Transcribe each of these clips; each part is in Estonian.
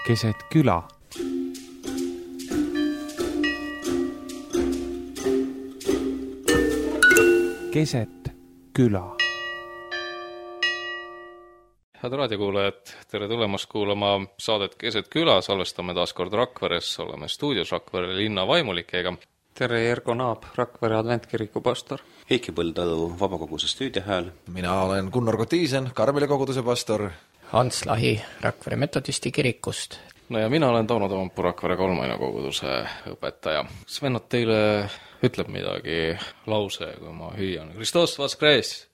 keset küla. Keset küla. Head raadiokuulajad, tere tulemast kuulama saadet Keset küla, salvestame taas kord Rakveres, oleme stuudios Rakvere linna vaimulikega. Tere, Ergo Naab, Rakvere adventkiriku pastor. Heiki Põldalu Vabakoguse stuudiohääl. Mina olen Gunnar Kotiisen, Karmeli koguduse pastor. Hans Lahi Rakvere metodisti kirikust. No ja mina olen Tauno Toompuu, Rakvere kolmaina koguduse õpetaja. Kas vennad teile ütleb midagi lause, kui ma hüüan? Kristos Vaskres!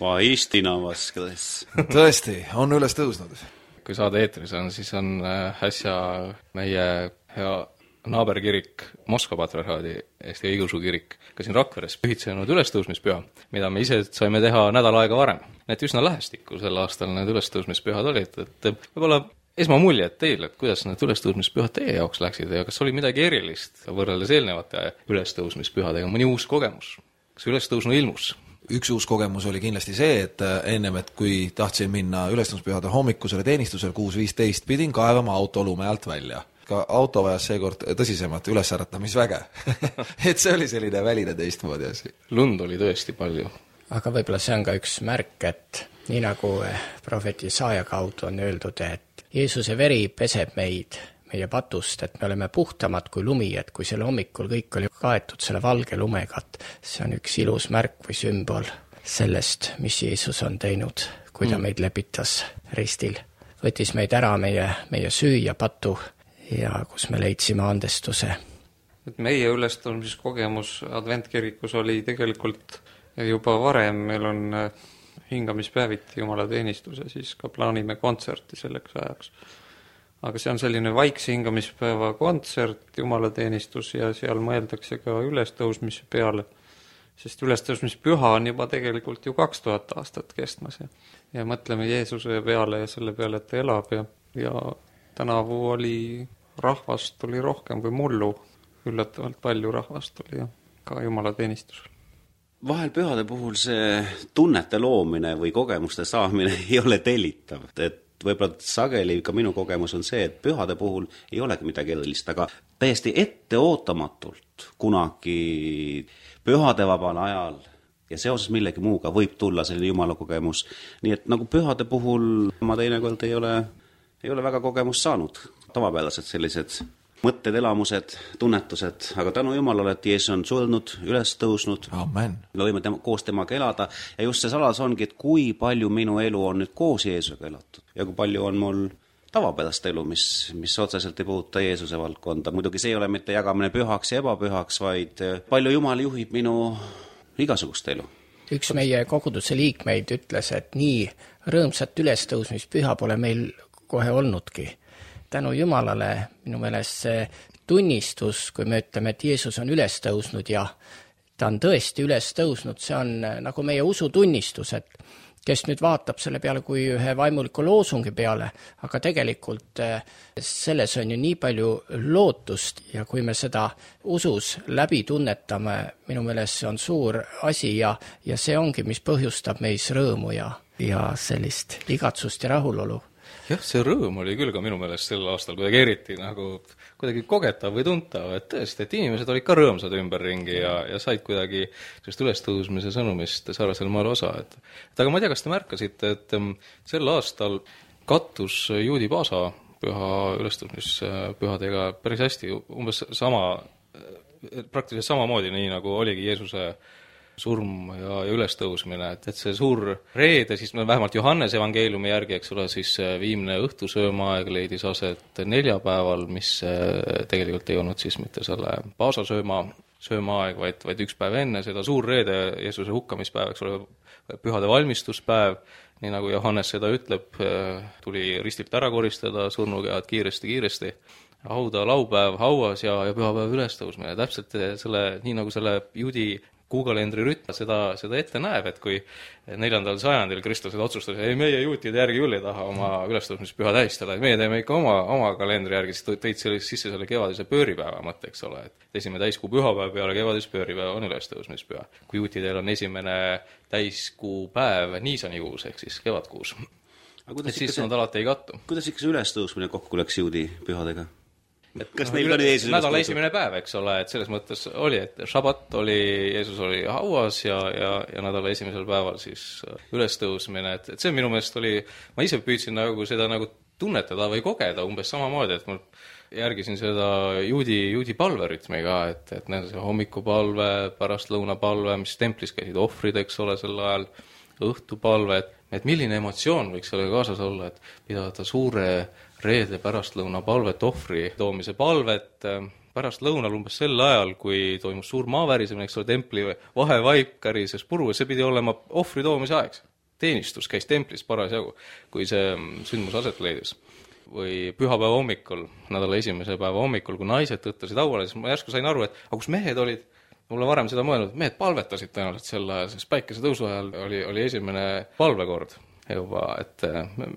Vaistina Vaskres! Tõesti, on üles tõusnud. Kui saade eetris on, siis on äsja meie hea naaberkirik, Moskva patriarhaadi Eesti õigeusu kirik, ka siin Rakveres pühitsenud ülestõusmispüha, mida me ise saime teha nädal aega varem. Need üsna lähestikku sel aastal need ülestõusmispühad olid, et võib-olla esmamuljed teil, et kuidas need ülestõusmispühad teie jaoks läksid ja kas oli midagi erilist võrreldes eelnevate ülestõusmispühadega, mõni uus kogemus? Kas ülestõusnu ilmus? Üks uus kogemus oli kindlasti see, et ennem, et kui tahtsin minna ülestõusmispühade hommikusele teenistusel 6.15, pidin kaevama auto lume alt välja. Ka auto vajas seekord tõsisemat ülesärratamisväge. Et see oli selline väline teistmoodi asi. Lund oli tõesti palju. Aga võib-olla see on ka üks märk, et nii nagu prohvet Jesaja kaudu on öeldud, et Jeesuse veri peseb meid, meie patust, et me oleme puhtamad kui lumi, et kui selle hommikul kõik oli kaetud selle valge lumega, see on üks ilus märk või sümbol sellest, mis Jeesus on teinud, kui ta meid lepitas ristil. Võttis meid ära meie süü ja patu ja kus me leidsime andestuse. Meie ülestõusmiskogemus adventkirikus oli tegelikult juba varem, meil on hingamispäeviti jumalateenistus ja siis ka plaanime kontserti selleks ajaks. Aga see on selline vaikse hingamispäeva kontsert, jumalateenistus ja seal mõeldakse ka ülestõusmise peale, sest ülestõusmispüha on juba tegelikult ju 2000 aastat kestmas ja mõtleme Jeesuse peale ja selle peale, et ta elab ja tänavu oli rahvast oli rohkem kui mullu, üllatavalt palju rahvast oli ja ka jumalateenistusel. Vahel pühade puhul see tunnete loomine või kogemuste saamine ei ole tellitav, et võib-olla sageli ka minu kogemus on see, et pühade puhul ei olegi midagi erilist, aga täiesti etteootamatult kunagi pühade vabal ajal ja seoses millegi muuga võib tulla selline jumala kogemus. Nii et nagu pühade puhul ma teinekord ei ole väga kogemust saanud. Tavapäraselt sellised mõtted, elamused, tunnetused, aga tänu Jumalale, et Jeesus on surnud, üles tõusnud. Amen. Me võime koos temaga elada ja just see saladus ongi, et kui palju minu elu on nüüd koos Jeesusega elatud ja kui palju on mul tavapärast elu, mis otseselt ei puuduta Jeesuse valdkonda. Muidugi see ei ole mitte jagamine pühaks ja ebapühaks, vaid palju Jumal juhib minu igasugust elu. Üks meie koguduse liikmeid ütles, et nii rõõmsat ülestõusmispüha pole meil kohe olnudki. Tänu Jumalale minu meelest see tunnistus, kui me ütleme, et Jeesus on üles tõusnud ja ta on tõesti üles tõusnud, see on nagu meie usutunnistus, et kes nüüd vaatab selle peale kui ühe vaimuliku loosungi peale, aga tegelikult selles on ju nii palju lootust ja kui me seda usus läbi tunnetame, minu meelest see on suur asi ja see ongi, mis põhjustab meis rõõmu ja sellist igatsust ja rahulolu. Jah, see rõõm oli küll ka minu meelest sel aastal kuidagi eriti nagu kuidagi kogetav või tuntav, et tõesti, et inimesed olid ka rõõmsad ümberringi ja said kuidagi sellest ülestõusmise sõnumist sarnasel maal osa. Aga ma ei tea, kas te märkasite, et sel aastal kattus juudi paasa püha ülestõusmispühadega päris hästi, umbes praktiliselt samamoodi, nii nagu oligi Jeesuse surm ja ülestõusmine, et see suur reede, siis vähemalt Johannese evangeeliumi järgi, eks ole, siis viimne õhtusöömaaeg leidis aset neljapäeval, mis tegelikult ei olnud siis mitte selle paasa söömaaeg, vaid üks päev enne seda suur reede, Jeesuse hukkamispäev, eks ole, pühade valmistuspäev, nii nagu Johannes seda ütleb, tuli ristilt ära koristada, surnukead kiiresti, hauda laupäev hauas ja pühapäev ülestõusmine, täpselt nii nagu selle juudi kuukalendri rütm seda ette näeb, et kui 4. sajandil kristlased otsustas, ei meie juutide järgi küll ei taha oma ülestõusmispüha tähistada, et meie teeme ikka oma kalendri järgi, siis tõid sisse selle kevadise pööripäeva mõtte, eks ole, et esimene täiskuu pühapäev peale kevadise pööripäeva on ülestõusmispüha. Kui juutidel on esimene täiskuu päev niisanikuus ehk siis kevadkuus. et siis nad alati ei kattu. Kuidas ikka see ülestõusmine kokku läks juudi pühadega? Kas neil oli Jeesus nädala esimene päev, eks ole, et selles mõttes oli, et šabat oli, Jeesus oli hauas ja nädala esimesel päeval siis ülestõusmine, et see minu meelest oli, ma ise püüdsin nagu seda nagu tunnetada või kogeda umbes samamoodi, et ma järgisin seda juudi palverütmi ka, et see hommikupalve, pärastlõunapalve, mis templis käisid ohvrid, eks ole, sel ajal, õhtupalve, et milline emotsioon võiks sellega kaasas olla, et pidada suure reede pärastlõuna palvet, ohvri toomise palvet, pärast lõunal umbes sel ajal, kui toimus suur maavärisemine, eks ole, templi vahevaip kärises puru, see pidi olema ohvri toomise aeg. Teenistus käis templis parasjagu, kui see sündmus aset leidis. Või pühapäeva hommikul, nädala esimese päeva hommikul, kui naised tõttasid hauale, siis ma järsku sain aru, et kus mehed olid, mulle varem seda mõelnud, mehed palvetasid tõenäoliselt sel ajal, sest päikese tõusu ajal oli esimene palvekord juba, et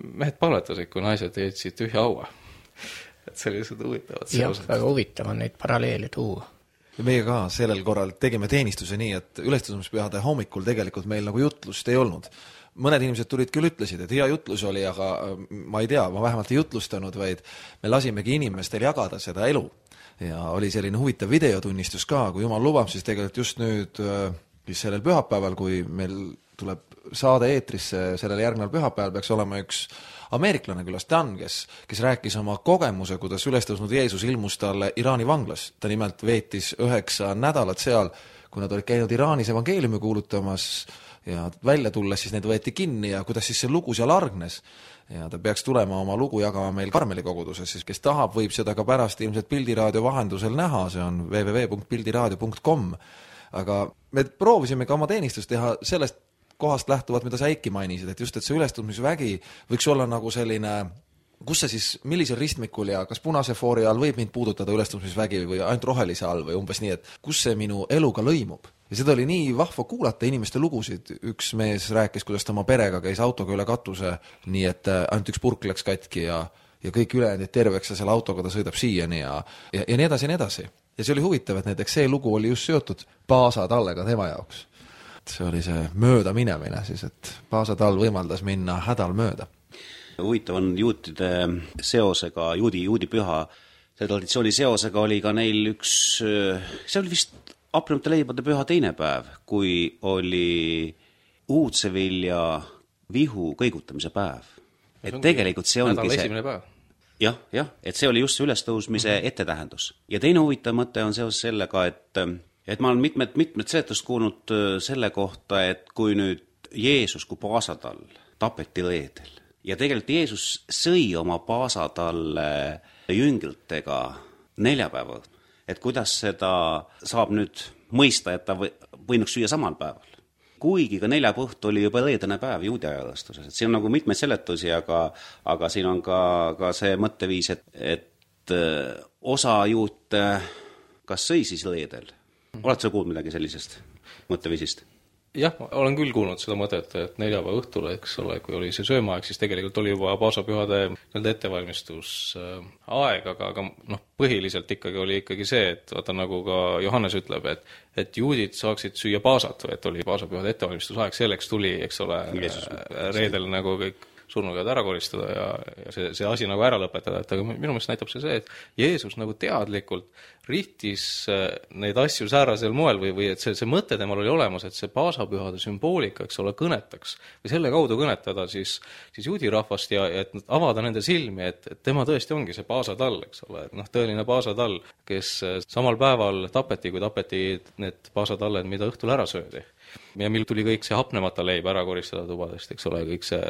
mehed palvetasid, kui naised jätsid tühja haua. Et sellised huvitavad seosed. Jah, väga huvitav on neid paralleele tuua. Ja meie ka sellel korral tegime teenistuse nii, et ülestõusmispühade hommikul tegelikult meil nagu jutlust ei olnud. Mõned inimesed tulid küll, ütlesid, et hea jutlus oli, aga ma ei tea, ma vähemalt ei jutlustanud, vaid me lasimegi inimestel jagada seda elu. Ja oli selline huvitav videotunnistus ka, kui jumal lubab, siis tegelikult just nüüd sellel pühapäeval, kui meil tuleb saade eetrisse sellel järgneval pühapäeval, peaks olema üks ameeriklane külas, Dan, kes rääkis oma kogemuse, kuidas ülestõusnud Jeesus ilmus talle Iraani vanglas. Ta nimelt veetis 9 nädalat seal, kui nad olid käinud Iraanis evangeeliumi kuulutamas ja välja tulles siis need võeti kinni ja kuidas siis see lugu seal argnes. Ja ta peaks tulema oma lugu jagama meil Karmeli koguduses, siis kes tahab, võib seda ka pärast ilmselt Pildiraadio vahendusel näha, see on www.pildiraadio.com. Aga me proovisime ka oma teenistust teha sellest kohast lähtuvat, mida sa Eiki mainisid, et just, et see ülestõusmisvägi võiks olla nagu selline, kus see siis, millisel ristmikul ja kas punase foori all võib mind puudutada ülestõusmisvägi või ainult rohelise all või umbes nii, et kus see minu eluga lõimub. Ja seda oli nii vahva kuulata inimeste lugusid. Üks mees rääkis, kuidas ta oma perega käis autoga üle katuse, nii et ainult üks purk läks katki ja kõik ülejäänud terveks ja selle autoga ta sõidab siiani ja nii edasi ja nii edasi. Ja see oli huvitav, et näiteks see lugu oli just seotud Paasatallega tema jaoks. See oli see mööda minemine siis, et Paasatal võimaldas minna hädal mööda. Huvitav on juutide seosega, juudi püha, see traditsiooni seosega oli ka neil üks, see oli vist hapnemata leibade püha teine päev, kui oli uudsevilja vihu kõigutamise päev. Et tegelikult see ongi see esimene päev. Jah, et see oli just see ülestõusmise ettetähendus. Ja teine huvitav mõte on seoses sellega, et ma olen mitmed seletust kuulnud selle kohta, et kui nüüd Jeesus kui Paasatal tapeti reedel ja tegelikult Jeesus sõi oma Paasatalle jünglitega neljapäeval, et kuidas seda saab nüüd mõista, et ta võinuks süüa samal päeval. Kuigi ka neljapäev oli juba reedene päev juudi ajalustuses, et siin on nagu mitmeid seletusi, aga siin on ka see mõtteviis, et osa juute kas sõi siis reedel. Oled sa kuulnud midagi sellisest mõtteviisist? Jah, ma olen küll kuulnud seda mõtet, et neljapäeva õhtul, eks ole, kui oli see söömaaeg, siis tegelikult oli juba paasapühade ettevalmistusaeg, aga põhiliselt ikkagi oli ikkagi see, et vaata nagu ka Johannes ütleb, et juudid saaksid süüa paasat, et oli paasapühade ettevalmistusaeg, selleks tuli, eks ole, reedel nagu kõik surnukäed ära koristada ja see asi nagu ära lõpetada, et aga minu meelest näitab see, et Jeesus nagu teadlikult rihtis neid asju säärasel moel või et see mõte temal oli olemas, et see paasapühade sümboolika, eks ole, kõnetaks või selle kaudu kõnetada siis juudi rahvast ja et avada nende silmi, et tema tõesti ongi see paasatall, eks ole, et tõeline paasatall, kes samal päeval tapeti, kui tapeti need paasatalled, mida õhtul ära söödi. Ja mil tuli kõik see hapnemata leib ära koristada tubadest, eks ole, kõik see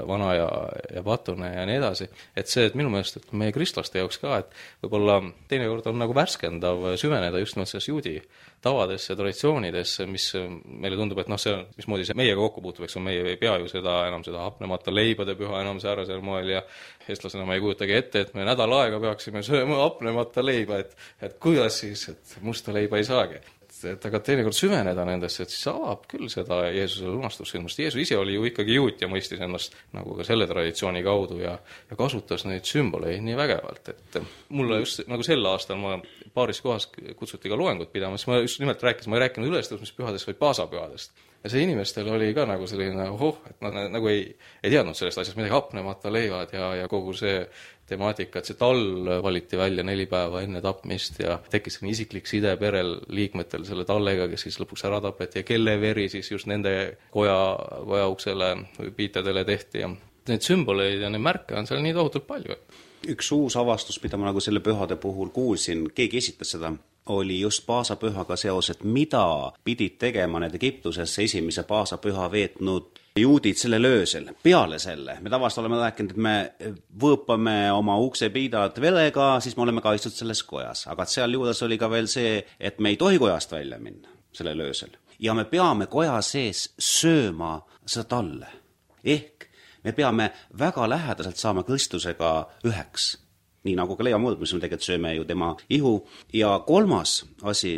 vana ja patune ja nii edasi. Et see, et minu meelest, et meie kristlaste jaoks ka, et võib-olla teinekord on nagu värskendav süveneda just nimelt selles juudi tavadesse, traditsioonidesse, mis meile tundub, et see on, mismoodi see meiega kokku puutub, eks on meie ei pea ju enam seda hapnemata leibade püha enam säärasel moel ja eestlasena ma ei kujutagi ette, et me nädal aega peaksime sööma hapnemata leiba, et kuidas siis, et musta leiba ei saagi. Et aga teinekord süveneda nendesse, et siis avab küll seda Jeesuse lunastussündmust. Jeesus ise oli ju ikkagi juut ja mõistis ennast nagu ka selle traditsiooni kaudu ja kasutas neid sümboleid nii vägevalt, et mulle just nagu sel aastal ma paaris kohas kutsuti ka loengut pidama, siis ma just nimelt ma ei rääkinud ülestõusmispühadest, vaid paasapühadest. ja see inimestel oli ka nagu selline et nad nagu ei teadnud sellest asjast midagi, hapnemata leivad ja kogu see temaatika, et see tall valiti välja 4 päeva enne tapmist ja tekkis selline isiklik side perel liikmetel selle tallega, kes siis lõpuks ära tapeti ja kelle veri siis just nende koja uksele või piitadele tehti ja neid sümboleid ja neid märke on seal nii tohutult palju. Üks uus avastus, mida ma nagu selle pühade puhul kuulsin, keegi esitas seda, oli just paasapühaga seoses, mida pidid tegema need Egiptusesse esimese paasapüha veetnud juudid sellel öösel. Peale selle, me tavaliselt oleme rääkinud, et me võõpame oma uksepiidad velega, siis me oleme kaitstud selles kojas. Aga seal juures oli ka veel see, et me ei tohi kojast välja minna sellel öösel. Ja me peame koja sees sööma seda talle. Ehk me peame väga lähedaselt saama Kristusega üheks. Nii nagu ka leiva mõõdmus, me tegelikult sööme ju tema ihu. Ja kolmas asi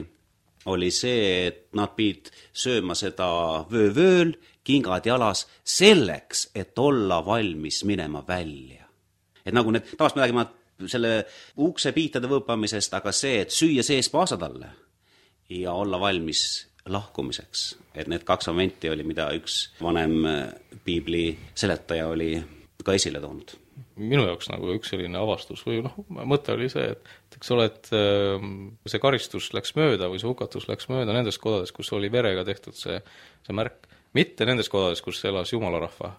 oli see, et nad pidid sööma seda vöövööl, kingad jalas, selleks, et olla valmis minema välja. Et nagu need, taas me räägime selle uksepiitade võõpamisest, aga see, et süüa sees paasatalle ja olla valmis lahkumiseks. Et need 2 momenti oli, mida üks vanem piibli seletaja oli ka esile toonud. Minu jaoks nagu üks selline avastus või mõte oli see, et eks ole, et see karistus läks mööda või see hukatus läks mööda nendes kodades, kus oli verega tehtud see märk, mitte nendes kodades, kus elas jumalarahva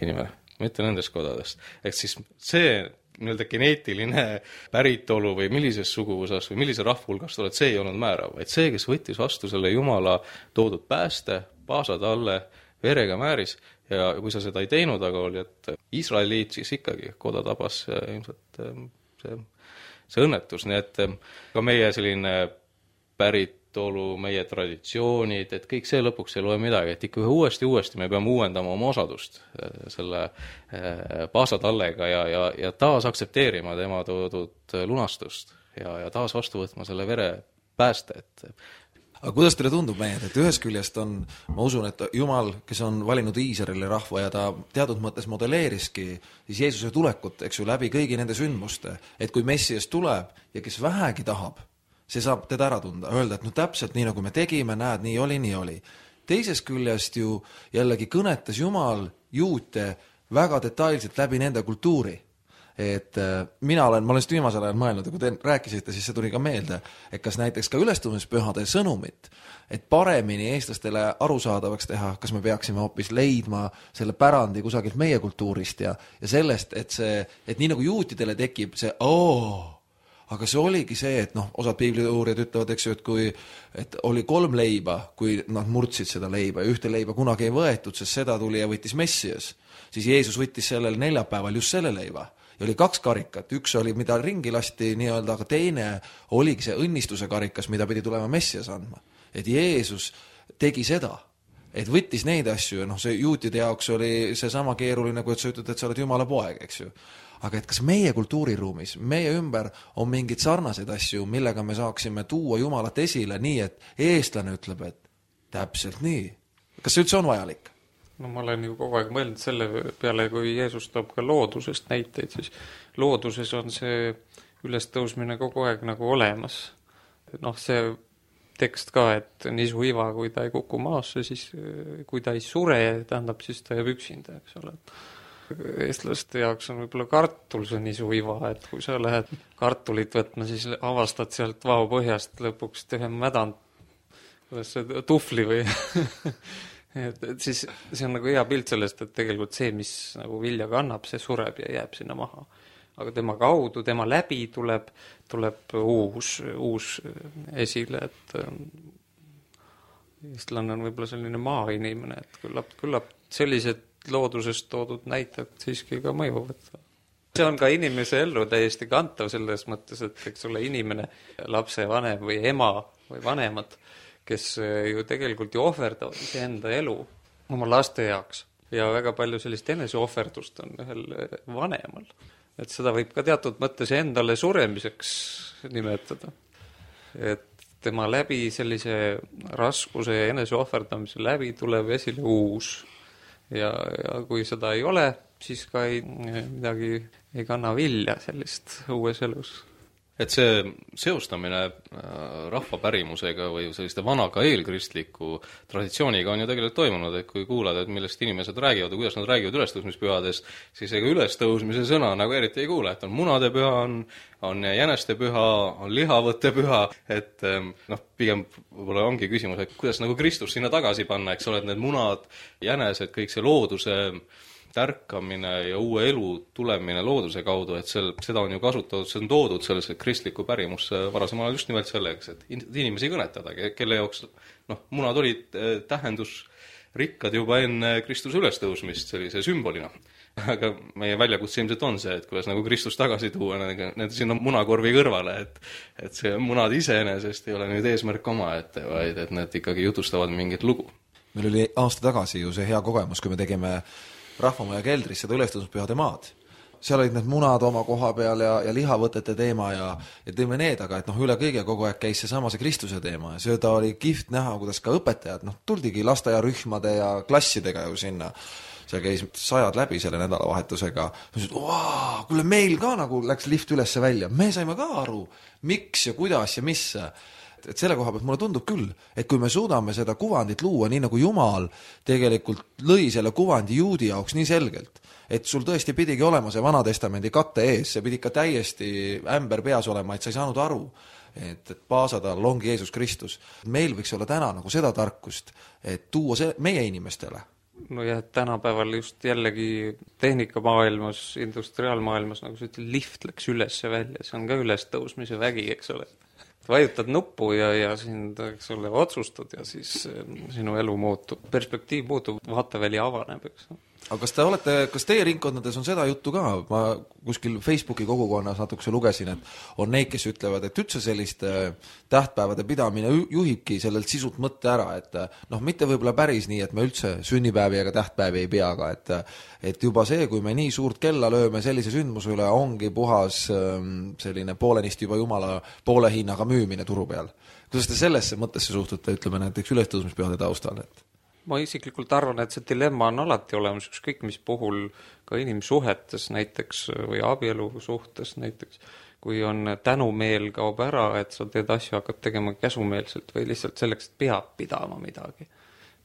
inimene, mitte nendes kodades. Ehk siis see nii-öelda geneetiline päritolu või millises suguvõsas või millise rahvahulgast oled, see ei olnud määrav, vaid see, kes võttis vastu selle Jumala toodud pääste, paasad alle, verega määris ja kui sa seda ei teinud, aga oli, et Iisraeliit siis ikkagi koda tabas ilmselt see õnnetus, nii et ka meie selline päritolu, meie traditsioonid, et kõik see lõpuks ei loe midagi, et ikka uuesti me peame uuendama oma osadust selle paasatallega ja taas aktsepteerima tema toodud lunastust ja taas vastu võtma selle vere pääste, et aga kuidas teile tundub mehed, et ühest küljest on, ma usun, et Jumal, kes on valinud Iisraeli rahva ja ta teatud mõttes modelleeriski siis Jeesuse tulekut, eks ju, läbi kõigi nende sündmuste, et kui Messias tuleb ja kes vähegi tahab, see saab teda ära tunda, öelda, et täpselt nii, nagu me tegime, näed, nii oli. Teisest küljest ju jällegi kõnetas Jumal juute väga detailselt läbi nende kultuuri. Et ma olen just viimasel ajal mõelnud ja kui te rääkisite, siis see tuli ka meelde, et kas näiteks ka ülestõusmispühade sõnumit, et paremini eestlastele arusaadavaks teha, kas me peaksime hoopis leidma selle pärandi kusagilt meie kultuurist ja sellest, et nii nagu juutidele tekib see aga see oligi see, et osad piibliuurijad ütlevad, eks ju, et oli 3 leiba, kui nad murdsid seda leiba ja ühte leiba kunagi ei võetud, sest seda tuli ja võttis Messias, siis Jeesus võttis sellel neljapäeval just selle leiba. Ja oli 2 karikat, üks oli, mida ringi lasti nii-öelda, aga teine oligi see õnnistuse karikas, mida pidi tulema Messias andma. Et Jeesus tegi seda, et võttis neid asju ja see juutide jaoks oli see sama keeruline, kui et sa ütled, et sa oled Jumala poeg, eks ju. Aga et kas meie kultuuriruumis, meie ümber on mingid sarnaseid asju, millega me saaksime tuua Jumalat esile nii, et eestlane ütleb, et täpselt nii. Kas see üldse on vajalik? No ma olen ju kogu aeg mõelnud selle peale, kui Jeesus toob ka loodusest näiteid, siis looduses on see ülestõusmine kogu aeg nagu olemas. See tekst ka, et nisu iva, kui ta ei kuku maasse, siis kui ta ei sure, tähendab, siis ta jääb üksinda, eks ole. Eestlaste jaoks on võib-olla kartul see nisu iva, et kui sa lähed kartulit võtma, siis avastad sealt vao põhjast lõpuks ühe mädand, kuidas see tufli või et siis see on nagu hea pilt sellest, et tegelikult see, mis nagu vilja kannab, see sureb ja jääb sinna maha. Aga tema kaudu, tema läbi tuleb uus esile, et eestlane on võib-olla selline maainimene, et küllap sellised loodusest toodud näited siiski ka mõjuvad. See on ka inimese ellu täiesti kantav selles mõttes, et eks ole inimene, lapse vanem või ema või vanemad, kes ju tegelikult ju ohverdavad enda elu oma laste jaoks. Ja väga palju sellist eneseohverdust on ühel vanemal. Et seda võib ka teatud mõttes endale suremiseks nimetada. Et tema läbi sellise raskuse ja eneseohverdamise läbi tuleb esile uus. Ja kui seda ei ole, siis ka midagi ei kanna vilja sellist uues elus. et see seostamine rahvapärimusega või selliste vanaga eelkristliku traditsiooniga on ju tegelikult toimunud, et kui kuulad, et millest inimesed räägivad ja kuidas nad räägivad ülestõusmispühades, siis ega ülestõusmise sõna nagu eriti ei kuule, et on munade püha, on jäneste püha, on lihavõtte püha, et pigem võib-olla ongi küsimus, et kuidas nagu Kristus sinna tagasi panna, eks ole, et need munad, jänesed, kõik see looduse tärkamine ja uue elu tulemine looduse kaudu, et seda on ju kasutatud, see on toodud sellesse kristlikku pärimusse varasemal ajal just nimelt selleks, et inimesi kõnetada, kelle jaoks munad olid tähendusrikkad juba enne Kristuse ülestõusmist sellise sümbolina. Aga meie väljakutse ilmselt on see, et kuidas nagu Kristus tagasi tuua need sinna munakorvi kõrvale, et see munad iseenesest ei ole nüüd eesmärk omaette, vaid et need ikkagi jutustavad mingit lugu. Meil oli aasta tagasi ju see hea kogemus, kui me tegime Rahvamaja keldris seda ülestõusmispühade maad. Seal olid need munad oma koha peal ja lihavõtete teema ja teeme need, aga et üle kõige kogu aeg käis see Kristuse teema ja seda oli kihvt näha, kuidas ka õpetajad, tuldigi lasteaiarühmade ja klassidega ju sinna. Seal käis 100 läbi selle nädalavahetusega. Kuule, meil ka nagu läks lift ülesse välja. Me saime ka aru, miks ja kuidas ja mis. Et selle koha pealt mulle tundub küll, et kui me suudame seda kuvandit luua nii nagu Jumal tegelikult lõi selle kuvandi juudi jaoks nii selgelt, et sul tõesti pidigi olema see Vanatestamendi katte ees, see pidi ikka täiesti ämber peas olema, et sa ei saanud aru, et paasatal ongi Jeesus Kristus. Meil võiks olla täna nagu seda tarkust, et tuua see meie inimestele. No ja tänapäeval just jällegi tehnikamaailmas, industriaalmaailmas, nagu sa ütled, lift läks üles ja välja, see on ka ülestõusmise vägi, eks ole. Vajutad nuppu ja sind, eks ole, otsustad ja siis sinu elu muutub, perspektiiv muutub, vaateväli avaneb, eks. Aga kas teie ringkondades on seda juttu ka? Ma kuskil Facebooki kogukonnas natukese lugesin, et on neid, kes ütlevad, et üldse selliste tähtpäevade pidamine juhibki sellelt sisult mõtte ära, et mitte võib-olla päris nii, et me üldse sünnipäevi ega tähtpäevi ei pea, aga et juba see, kui me nii suurt kella lööme sellise sündmuse üle, ongi puhas selline poolenisti juba Jumala poole hinnaga müümine turu peal. Kuidas te sellesse mõttesse suhtute, ütleme näiteks ülestõusmispühade taustal, et ma isiklikult arvan, et see dilemma on alati olemas, ükskõik mis puhul ka inimsuhetes näiteks või abielu suhtes näiteks, kui on tänumeel kaob ära, et sa teed asju, hakkad tegema käsumeelselt või lihtsalt selleks, et peab pidama midagi.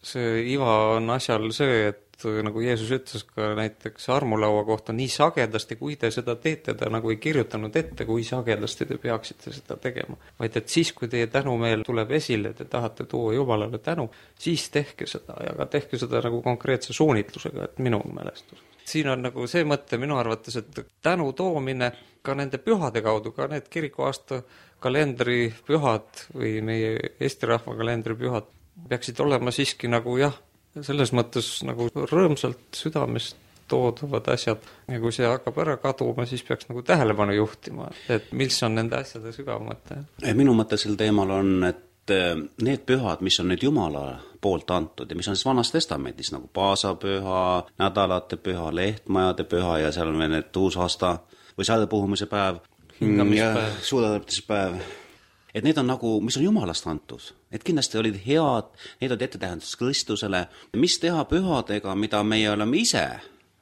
See iva on asjal see, et nagu Jeesus ütles ka näiteks armulaua kohta, nii sagedasti, kui te seda teete, ta nagu ei kirjutanud ette, kui sagedasti te peaksite seda tegema. Vaid et siis, kui teie tänumeel tuleb esile, te tahate tuua Jumalale tänu, siis tehke seda ja ka tehke seda nagu konkreetse suunitlusega, et minu mälestus. Siin on nagu see mõte minu arvates, et tänu toomine ka nende pühade kaudu, ka need kirikuaasta kalendri pühad või meie Eesti rahva kalendri pühad peaksid olema siiski nagu selles mõttes nagu rõõmsalt südamest toodavad asjad ja kui see hakkab ära kaduma, siis peaks nagu tähelepanu juhtima, et mis on nende asjade sügav mõte. Minu mõte sel teemal on, et need pühad, mis on nüüd Jumala poolt antud ja mis on siis Vanas Testamendis nagu paasapüha, nädalate püha, lehtmajade püha ja seal on veel need uusaasta või sadepuhumise päev, suudatäptispäev. Et need on nagu, mis on Jumalast antud. Et kindlasti olid head, need olid ettetähendus Kristusele. Mis teha pühadega, mida meie oleme ise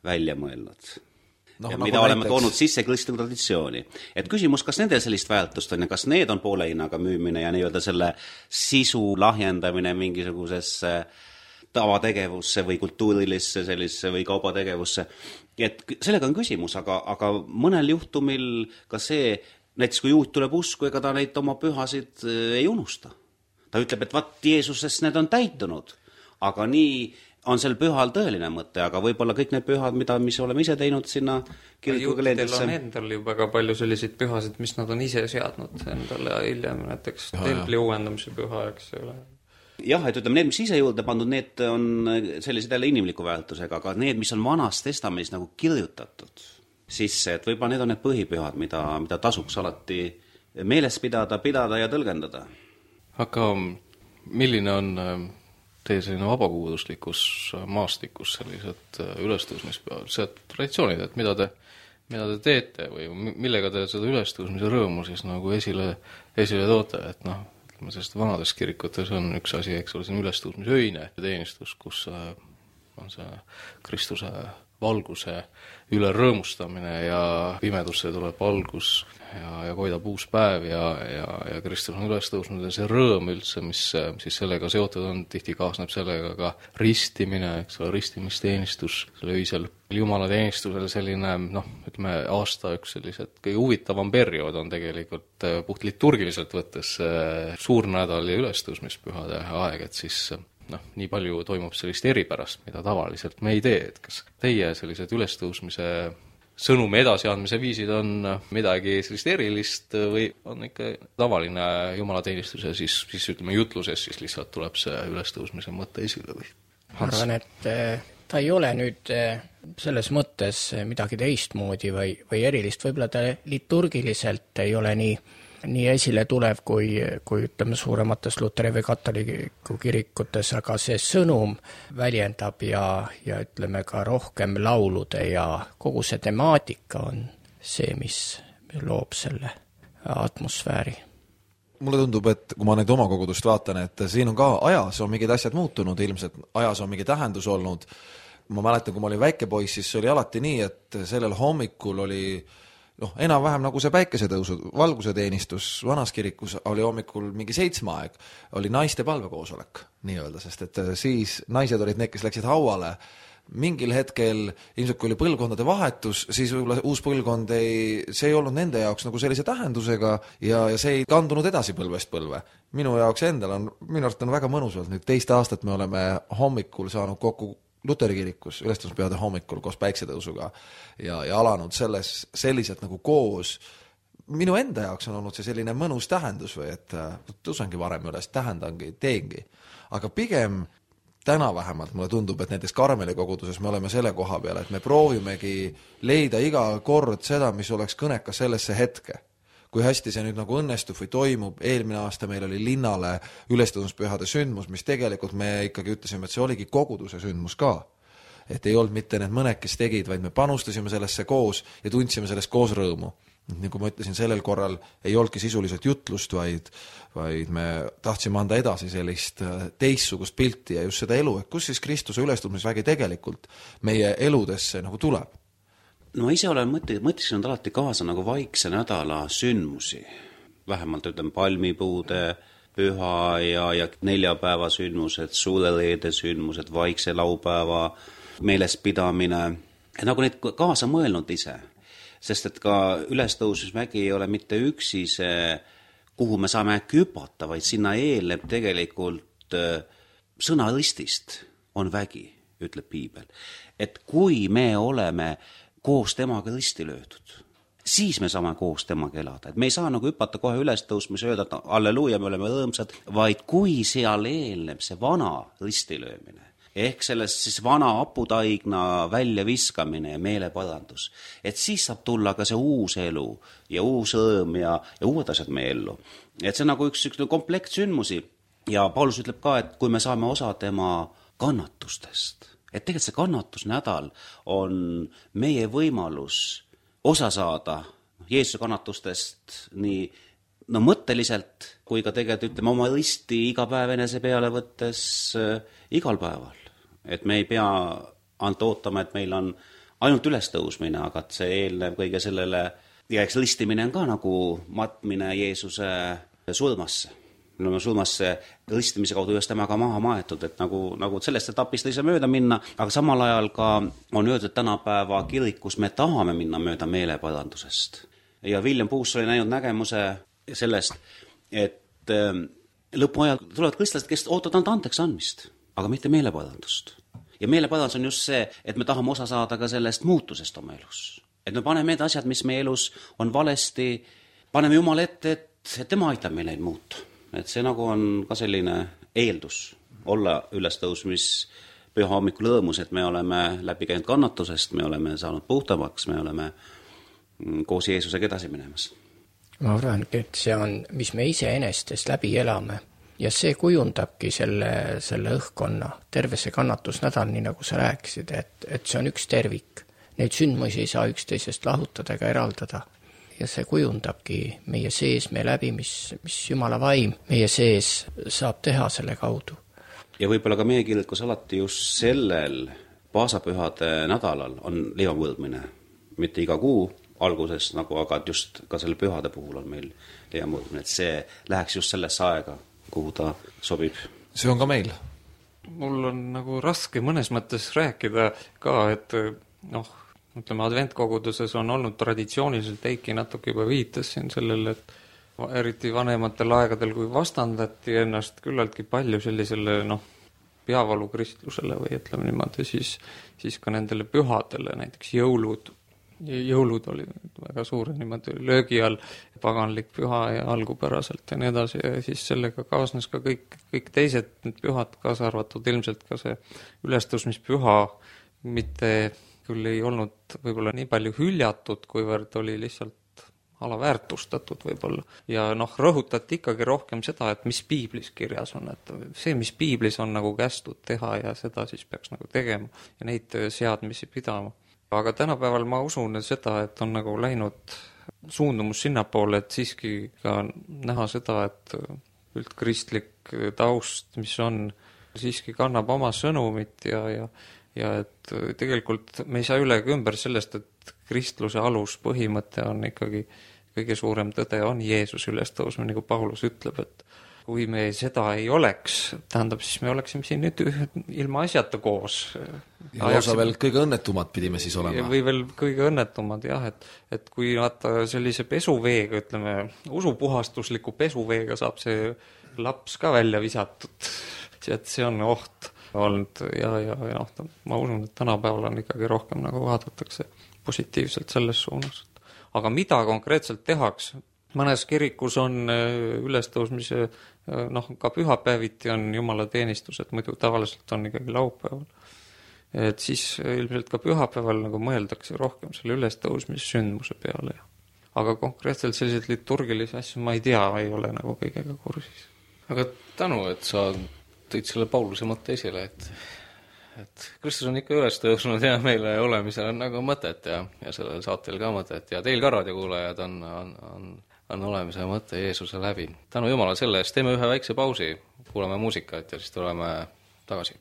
välja mõelnud? Ja mida oleme toonud sisse kristliku traditsiooni. Et küsimus, kas nendel sellist väärtust on ja kas need on poole hinnaga müümine ja nii-öelda selle sisu lahjendamine mingisugusesse tavategevusse või kultuurilisse sellisse või kaubategevusse. Et sellega on küsimus, aga mõnel juhtumil ka see näiteks kui juut tuleb usku, ega ta neid oma pühasid ei unusta. Ta ütleb, et Jeesusest need on täitunud, aga nii on sel pühal tõeline mõte, aga võib-olla kõik need pühad, mis oleme ise teinud sinna kirikukalendrisse. Juutidel on endal ju väga palju selliseid pühasid, mis nad on ise seadnud endale hiljem, näiteks templi uuendamise püha, eks ole. Jah, et ütleme, need, mis ise juurde pandud, need on sellised jälle inimliku väärtusega, aga need, mis on Vanas Testamendis nagu kirjutatud sisse, et võib-olla need on need põhipühad, mida tasuks alati meeles pidada ja tõlgendada. Aga milline on teie selline vabakuuduslikus maastikus sellised ülestõusmispühad, see traditsioonid, et mida te teete või millega te seda ülestõusmise rõõmu siis nagu esile toote, et ütleme, sest vanades kirikutes on üks asi, eks ole, see on ülestõusmise öine teenistus, kus on see Kristuse valguse üle rõõmustamine ja pimedusse tuleb valgus ja koidab uus päev ja Kristus on üles tõusnud ja see rõõm üldse, mis siis sellega seotud on, tihti kaasneb sellega ka ristimine, eks ole, ristimisteenistus, selle öisel jumalateenistusel selline, ütleme, aasta üks sellised kõige huvitavam periood on tegelikult puht liturgiliselt võttes suurnädal ja ülestõusmispühade aeg, et siis nii palju toimub sellist eripärast, mida tavaliselt me ei tee, et kas teie sellised ülestõusmise sõnumi edasiandmise viisid on midagi sellist erilist või on ikka tavaline jumalateenistus ja siis ütleme jutluses siis lihtsalt tuleb see ülestõusmise mõte esile või? Ma arvan, et ta ei ole nüüd selles mõttes midagi teistmoodi või erilist, võib-olla ta liturgiliselt ei ole nii esile tulev kui ütleme suuremates luteri või katoliku kirikutes, aga see sõnum väljendab ja ütleme ka rohkem laulude ja kogu see temaatika on see, mis loob selle atmosfääri. Mulle tundub, et kui ma nüüd oma kogudust vaatan, et siin on ka ajas on mingid asjad muutunud, ilmselt ajas on mingi tähendus olnud. Ma mäletan, kui ma olin väike poiss, siis oli alati nii, et sellel hommikul oli enam-vähem nagu see päikesetõusu valguseteenistus vanas kirikus oli hommikul mingi 7 aeg, oli naiste palvekoosolek nii-öelda, sest et siis naised olid need, kes läksid hauale. Mingil hetkel, ilmselt kui oli põlvkondade vahetus, siis võib-olla uus põlvkond see ei olnud nende jaoks nagu sellise tähendusega ja see ei kandunud edasi põlvest põlve. Minu jaoks endal minu arust on väga mõnusalt, nüüd 2 aastat me oleme hommikul saanud kokku Luteri kirikus, ülestõusmispühade hommikul koos päiksetõusuga ja alanud selliselt nagu koos. Minu enda jaoks on olnud see selline mõnus tähendus või et tõusengi varem üles, tähendangi, teengi. Aga pigem täna vähemalt mulle tundub, et näiteks Karmeli koguduses me oleme selle koha peal, et me proovimegi leida iga kord seda, mis oleks kõnekas sellesse hetke. Kui hästi see nüüd nagu õnnestub või toimub, eelmine aasta meil oli linnale ülestõusmispühade sündmus, mis tegelikult me ikkagi ütlesime, et see oligi koguduse sündmus ka. Et ei olnud mitte need mõned, kes tegid, vaid me panustasime sellesse koos ja tundsime sellest koos rõõmu. Nagu ma ütlesin, sellel korral ei olnudki sisuliselt jutlust, vaid me tahtsime anda edasi sellist teistsugust pilti ja just seda elu, et kus siis Kristuse ülestõusmisvägi tegelikult meie eludesse nagu tuleb. No ise olen mõtlesin alati kaasa nagu vaikse nädala sündmusi. Vähemalt ütleme palmipuude püha ja 4 päeva sündmused, suuleleede sündmused, vaikse laupäeva meelespidamine. Nagu neid kaasa mõelnud ise. Sest et ka ülestõusmisvägi ei ole mitte üksi see, kuhu me saame küpata, vaid sinna eelneb tegelikult sõna ristist on vägi, ütleb piibel. Et kui me oleme koos temaga risti löödud, siis me saame koos temaga elada. Et me ei saa nagu hüpata kohe ülestõusmis ja öelda, et alleluuja, me oleme rõõmsad, vaid kui seal eelneb see vana ristilöömine, ehk sellest siis vana aputaigna väljaviskamine ja meeleparandus, et siis saab tulla ka see uus elu ja uus rõõm ja uued asjad meie ellu. Et see on nagu üks komplekt sündmusi ja Paulus ütleb ka, et kui me saame osa tema kannatustest, et tegelikult see kannatusnädal on meie võimalus osa saada Jeesuse kannatustest nii mõtteliselt kui ka tegelikult ütleme oma risti iga päev enese peale võttes igal päeval. Et me ei pea ootama, et meil on ainult ülestõusmine, aga et see eelnev kõige sellele ja eks ristimine on ka nagu matmine Jeesuse surmasse. Me oleme surmasse ristimise kaudu just temaga maha maetud, et nagu sellest etapist ei saa mööda minna, aga samal ajal ka on öeldud tänapäeva kirikus me tahame minna mööda meeleparandusest. Ja William Puus oli näinud nägemuse sellest, et lõpuajal tulevad kristlased, kes ootavad ainult andeks andmist, aga mitte meeleparandust. Ja meeleparandus on just see, et me tahame osa saada ka sellest muutusest oma elus. Et me paneme need asjad, mis meie elus on valesti, paneme Jumala ette, et tema aitab meil neid muuta. Et see nagu on ka selline eeldus olla ülestõusmis püha hommikul rõõmus, et me oleme läbi käinud kannatusest, me oleme saanud puhtamaks, me oleme koos Jeesusega edasi minemas. Ma arvan, et see on, mis me ise enestest läbi elame ja see kujundabki selle õhkkonna, terve see kannatusnädal, nii nagu sa rääkisid, et see on üks tervik. Neid sündmusi ei saa üksteisest lahutada ega eraldada. Ja see kujundabki meie sees, meie läbi, mis Jumala vaim meie sees saab teha selle kaudu. Ja võib-olla ka meie kirikus alati just sellel paasapühade nädalal on leivamõõdmine, mitte iga kuu alguses nagu, aga just ka selle pühade puhul on meil leivamõõdmine, et see läheks just sellesse aega, kuhu ta sobib. See on ka meil. Mul on nagu raske mõnes mõttes rääkida ka, et noh, ütleme, adventkoguduses on olnud traditsiooniliselt, Eiki natuke juba viitas siin sellele, et eriti vanematel aegadel, kui vastandati ennast küllaltki palju sellisele peavalukristlusele või ütleme niimoodi, siis ka nendele pühadele, näiteks jõulud oli väga suur niimoodi löögi all, paganlik püha ja algupäraselt ja nii edasi, ja siis sellega kaasnes ka kõik teised need pühad, kaasa arvatud ilmselt ka see ülestõusmispüha, mitte küll ei olnud võib-olla nii palju hüljatud, kuivõrd oli lihtsalt alaväärtustatud võib-olla. Ja rõhutati ikkagi rohkem seda, et mis piiblis kirjas on, et see, mis piiblis on nagu kästud teha ja seda siis peaks nagu tegema ja neid seadmisi pidama. Aga tänapäeval ma usun seda, et on nagu läinud suundumus sinnapoole, et siiski ka näha seda, et üldkristlik taust, mis on, siiski kannab oma sõnumit ja et tegelikult me ei saa üle ega ümber sellest, et kristluse aluspõhimõte on ikkagi kõige suurem tõde on Jeesus ülestõusmine, nagu Paulus ütleb, et kui me seda ei oleks, tähendab, siis me oleksime siin nüüd ilma asjata koos. Ja lausa veel kõige õnnetumad pidime siis olema. Või veel kõige õnnetumad, jah, et kui vaata sellise pesuveega, ütleme, usupuhastusliku pesuveega saab see laps ka välja visatud, et see on oht olnud ja ma usun, et tänapäeval on ikkagi rohkem nagu vaadatakse positiivselt selles suunas. Aga mida konkreetselt tehaks? Mõnes kirikus on ülestõusmise, ka pühapäeviti on jumalateenistused, muidu tavaliselt on ikkagi laupäeval. Et siis ilmselt ka pühapäeval nagu mõeldakse rohkem selle ülestõusmissündmuse peale. Aga konkreetselt selliseid liturgilisi asju ma ei tea, ei ole nagu kõigega kursis. Aga tänu, et sa tõid selle Pauluse mõtte esile, et Kristus on ikka üles tõusnud ja meile olemisel on nagu mõtet ja sellel saatel ka mõtet ja teil ka raadiokuulajad on olemise mõte Jeesuse läbi. Tänu Jumala selle eest, teeme ühe väikse pausi, kuulame muusikat ja siis tuleme tagasi.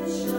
Shine.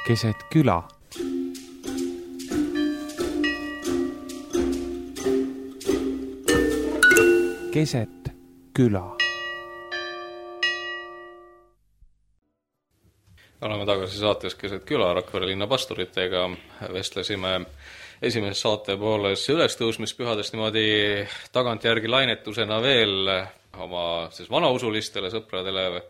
keset küla. Keset küla. Oleme tagasi saates Keset küla Rakvere linna pastoritega. Vestlesime esimeses saate pooles ülestõusmispühadest niimoodi tagantjärgi lainetusena veel oma vanausulistele sõpradele,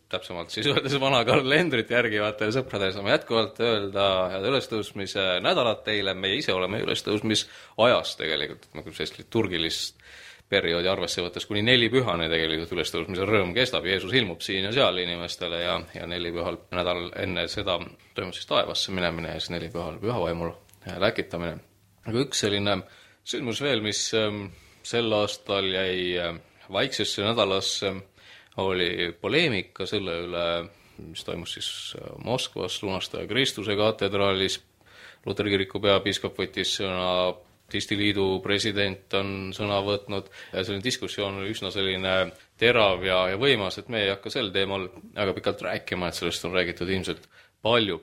täpsemalt siis öeldes vana kalendrit järgivatele sõpradele saame jätkuvalt öelda head ülestõusmise nädalat teile. Meie ise oleme ülestõusmisajas tegelikult, sellist liturgilist perioodi arvesse võttes kuni 4 pühane tegelikult ülestõusmise rõõm kestab. Jeesus ilmub siin ja seal inimestele ja 4 pühal nädal enne seda toimub siis taevasse minemine ja siis 4 pühal pühavaimul läkitamine. Aga üks selline sündmus veel, mis sel aastal jäi vaiksesse nädalasse, oli poleemika selle üle, mis toimus siis Moskvas Lunastaja Kristuse katedraalis. Luteri kiriku peapiiskop võttis sõna, Arstiliidu president on sõna võtnud ja selline diskussioon oli üsna selline terav ja võimas, et me ei hakka sel teemal väga pikalt rääkima, et sellest on räägitud ilmselt palju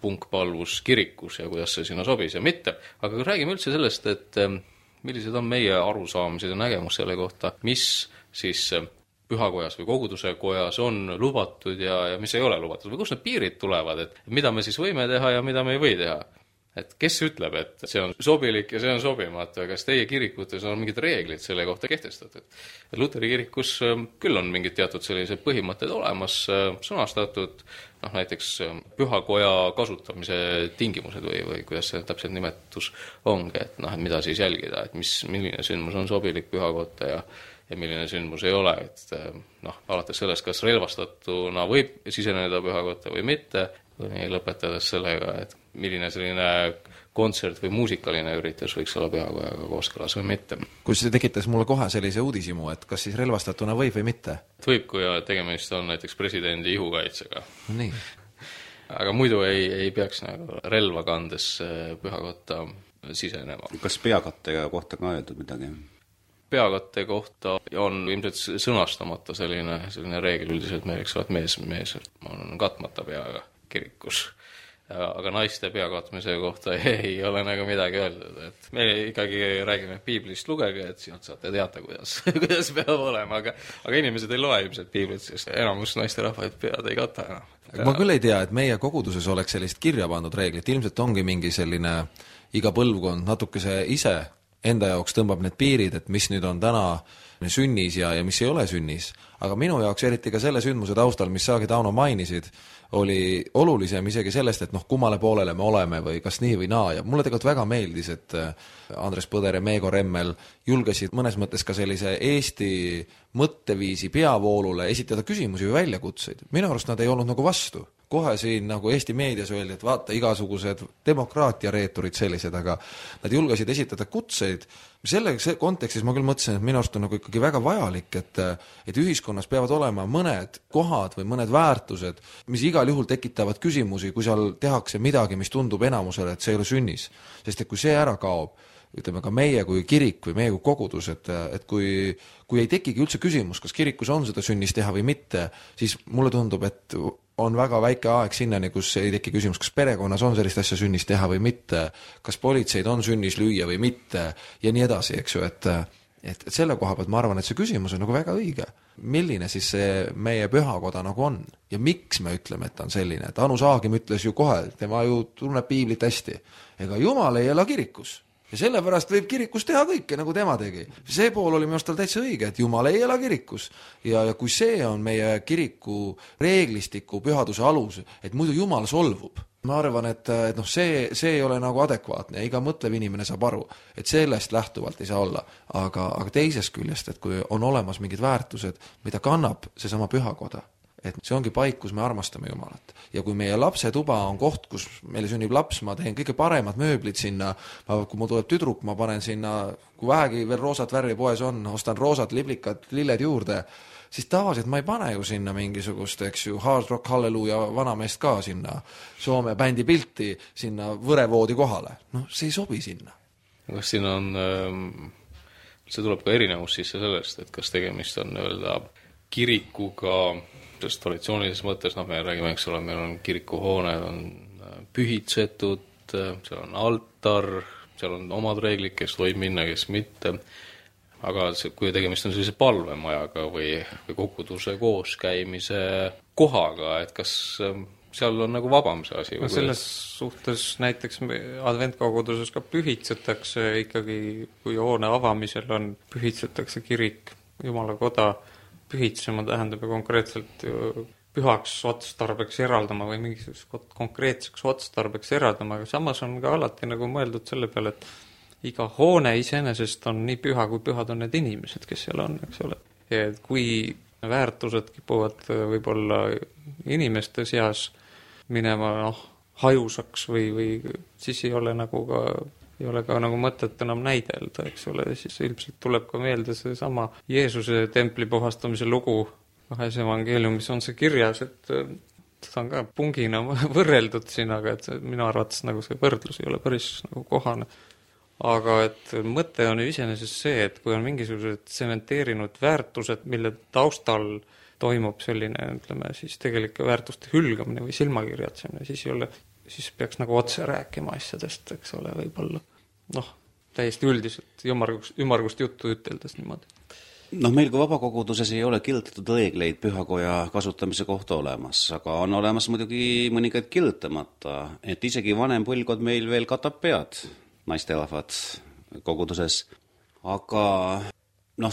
punkpalvus kirikus ja kuidas see sinna sobis ja mitte. Aga räägime üldse sellest, et millised on meie arusaamised ja nägemus selle kohta, mis siis pühakojas või koguduse kojas on lubatud ja mis ei ole lubatud või kus need piirid tulevad, et mida me siis võime teha ja mida me ei või teha. Et kes ütleb, et see on sobilik ja see on sobimatu, kas teie kirikutes on mingid reeglid selle kohta kehtestatud? Luteri kirikus küll on mingid teatud sellised põhimõtted olemas, sõnastatud, näiteks pühakoja kasutamise tingimused või kuidas see täpselt nimetus ongi, et mida siis jälgida, et milline sündmus on sobilik pühakotta ja milline sündmus ei ole, et alates sellest, kas relvastatuna võib siseneda pühakotta või mitte, või lõpetades sellega, et milline selline kontsert või muusikaline üritus võiks olla pühakojaga kooskõlas või mitte. Kus see tekitas mulle kohe sellise uudisimu, et kas siis relvastatuna võib või mitte? Võib, kui tegemist on näiteks presidendi ihukaitsega. Nii. Aga muidu ei peaks relva kandes pühakotta sisenema. Kas peakattega kohta ka öeldud midagi? Peakatte kohta on ilmselt sõnastamata selline reegel üldiselt meil, eks ole, et mees on katmata peaga kirikus. Aga naiste peakatmise kohta ei ole midagi öeldud, et me ikkagi räägime piiblist lugege, et sealt saate teada, kuidas peab olema, aga inimesed ei loe ilmselt piiblit, sest enamus naiste rahvaid pead ei kata enam. Ma küll ei tea, et meie koguduses oleks sellist kirja pandud reeglit, ilmselt ongi mingi selline iga põlvkond natukese ise enda jaoks tõmbab need piirid, et mis nüüd on täna sünnis ja mis ei ole sünnis. Aga minu jaoks eriti ka selle sündmuse taustal, mis saagi Tauno mainisid, oli olulisem isegi sellest, et kummale poolele me oleme või kas nii või naa. Ja mulle tegelikult väga meeldis, et Andres Põder ja Meego Remmel julgesid mõnes mõttes ka sellise Eesti mõtteviisi peavoolule esitada küsimusi või väljakutseid. Minu arust nad ei olnud vastu. Kohe siin Eesti meedias öeldi, et vaata igasugused demokraatia reeturid sellised, aga nad julgesid esitada kutseid. Selle kontekstis ma küll mõtlesin, et minu arust on ikkagi väga vajalik, et ühiskonnas peavad olema mõned kohad või mõned väärtused, mis igal juhul tekitavad küsimusi, kui seal tehakse midagi, mis tundub enamusele, et see ei ole sünnis. Sest et kui see ära kaob, ütleme ka meie kui kirik või meie kui kogudus, et kui ei tekigi üldse küsimus, kas kirikus on seda sünnis teha või mitte, siis mulle tundub, et on väga väike aeg sinnani, kus ei teki küsimus, kas perekonnas on sellist asja sünnis teha või mitte, kas politseid on sünnis lüüa või mitte ja nii edasi, eks ju, et selle koha pealt ma arvan, et see küsimus on väga õige. Milline siis see meie pühakoda on ja miks me ütleme, et ta on selline, et Anu Saagim ütles ju kohe, tema ju tunneb piiblit hästi, ega Jumal ei ela kirikus. Ja sellepärast võib kirikus teha kõike, nagu tema tegi. See pool oli minu arust tal täitsa õige, et Jumal ei ela kirikus. Ja kui see on meie kiriku reeglistiku pühaduse alus, et muidu Jumal solvub. Ma arvan, et see ei ole adekvaatne. Iga mõtlev inimene saab aru, et sellest lähtuvalt ei saa olla. Aga teisest küljest, et kui on olemas mingid väärtused, mida kannab seesama pühakoda, et see ongi paik, kus me armastame Jumalat. Ja kui meie lapse tuba on koht, kus meile sünnib laps, ma teen kõige paremad mööblid sinna, kui mul tuleb tüdruk, ma panen sinna, kui vähegi veel roosat värvi poes on, ostan roosad, liblikad, lilled juurde, siis tavaliselt ma ei pane ju sinna mingisugust, eks ju, Hard Rock Halleluja vanameest ka sinna Soome bändi pilti sinna võrevoodi kohale. See ei sobi sinna. Kas siin on, see tuleb ka erinevus sisse sellest, et kas tegemist on kirikuga, sest traditsioonilises mõttes, me räägime, eks ole, meil on kirikuhooned, on pühitsetud, seal on altar, seal on omad reeglid, kes võib minna, kes mitte, aga kui tegemist on sellise palvemajaga või koguduse kooskäimise kohaga, et kas seal on nagu vabam see asi? No selles suhtes näiteks adventkoguduses ka pühitsetakse ikkagi, kui hoone avamisel on, pühitsetakse kirik, Jumala koda, pühitsema tähendab ju konkreetselt pühaks otstarbeks eraldama või mingisuguseks konkreetseks otstarbeks eraldama, aga samas on ka alati nagu mõeldud selle peale, et iga hoone iseenesest on nii püha, kui pühad on need inimesed, kes seal on, eks ole. Ja kui väärtused kipuvad võib-olla inimeste seas minema hajusaks või siis ei ole ka nagu mõtet enam näidelda, eks ole, siis ilmselt tuleb ka meelde seesama Jeesuse templi puhastamise lugu 2 evangeeliumis on see kirjas, et seda on ka pungina võrreldud siin, aga et minu arvates nagu see võrdlus ei ole päris nagu kohane. Aga et mõte on ju iseenesest see, et kui on mingisugused tsementeerinud väärtused, mille taustal toimub selline, ütleme, siis tegelike väärtuste hülgamine või silmakirjatsemine, siis peaks nagu otse rääkima asjadest, eks ole, võib-olla. Täiesti üldiselt ümmargust juttu üteldes niimoodi. Meil kui vabakoguduses ei ole kirjutatud reegleid pühakoja kasutamise kohta olemas, aga on olemas muidugi mõningaid kirjutamata, et isegi vanem põlvkond meil veel katab pead, naisterahvad koguduses. Aga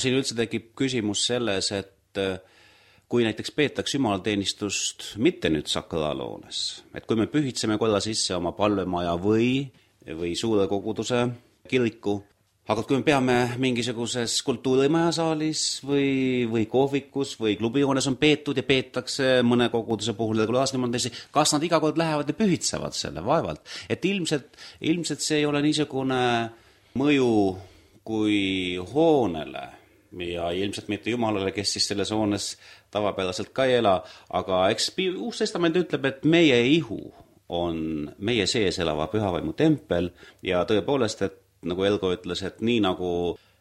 siin üldse tekib küsimus selles, et kui näiteks peetakse jumalateenistust mitte nüüd sakraalhoones, et kui me pühitseme korra sisse oma palvemaja või suure koguduse kiriku, aga kui me peame mingisuguses kultuurimajasaalis või kohvikus või klubihoones on peetud ja peetakse mõne koguduse puhul regulaarselt, kas nad iga kord lähevad ja pühitsevad selle vaevalt? Et ilmselt see ei ole niisugune mõju kui hoonele ja ilmselt mitte Jumalale, kes siis selles hoones tavapäraselt ka ei ela, aga eks Uus Testament ütleb, et meie ihu on meie sees elava pühavaimu tempel ja tõepoolest, et nagu Elgo ütles, et nii nagu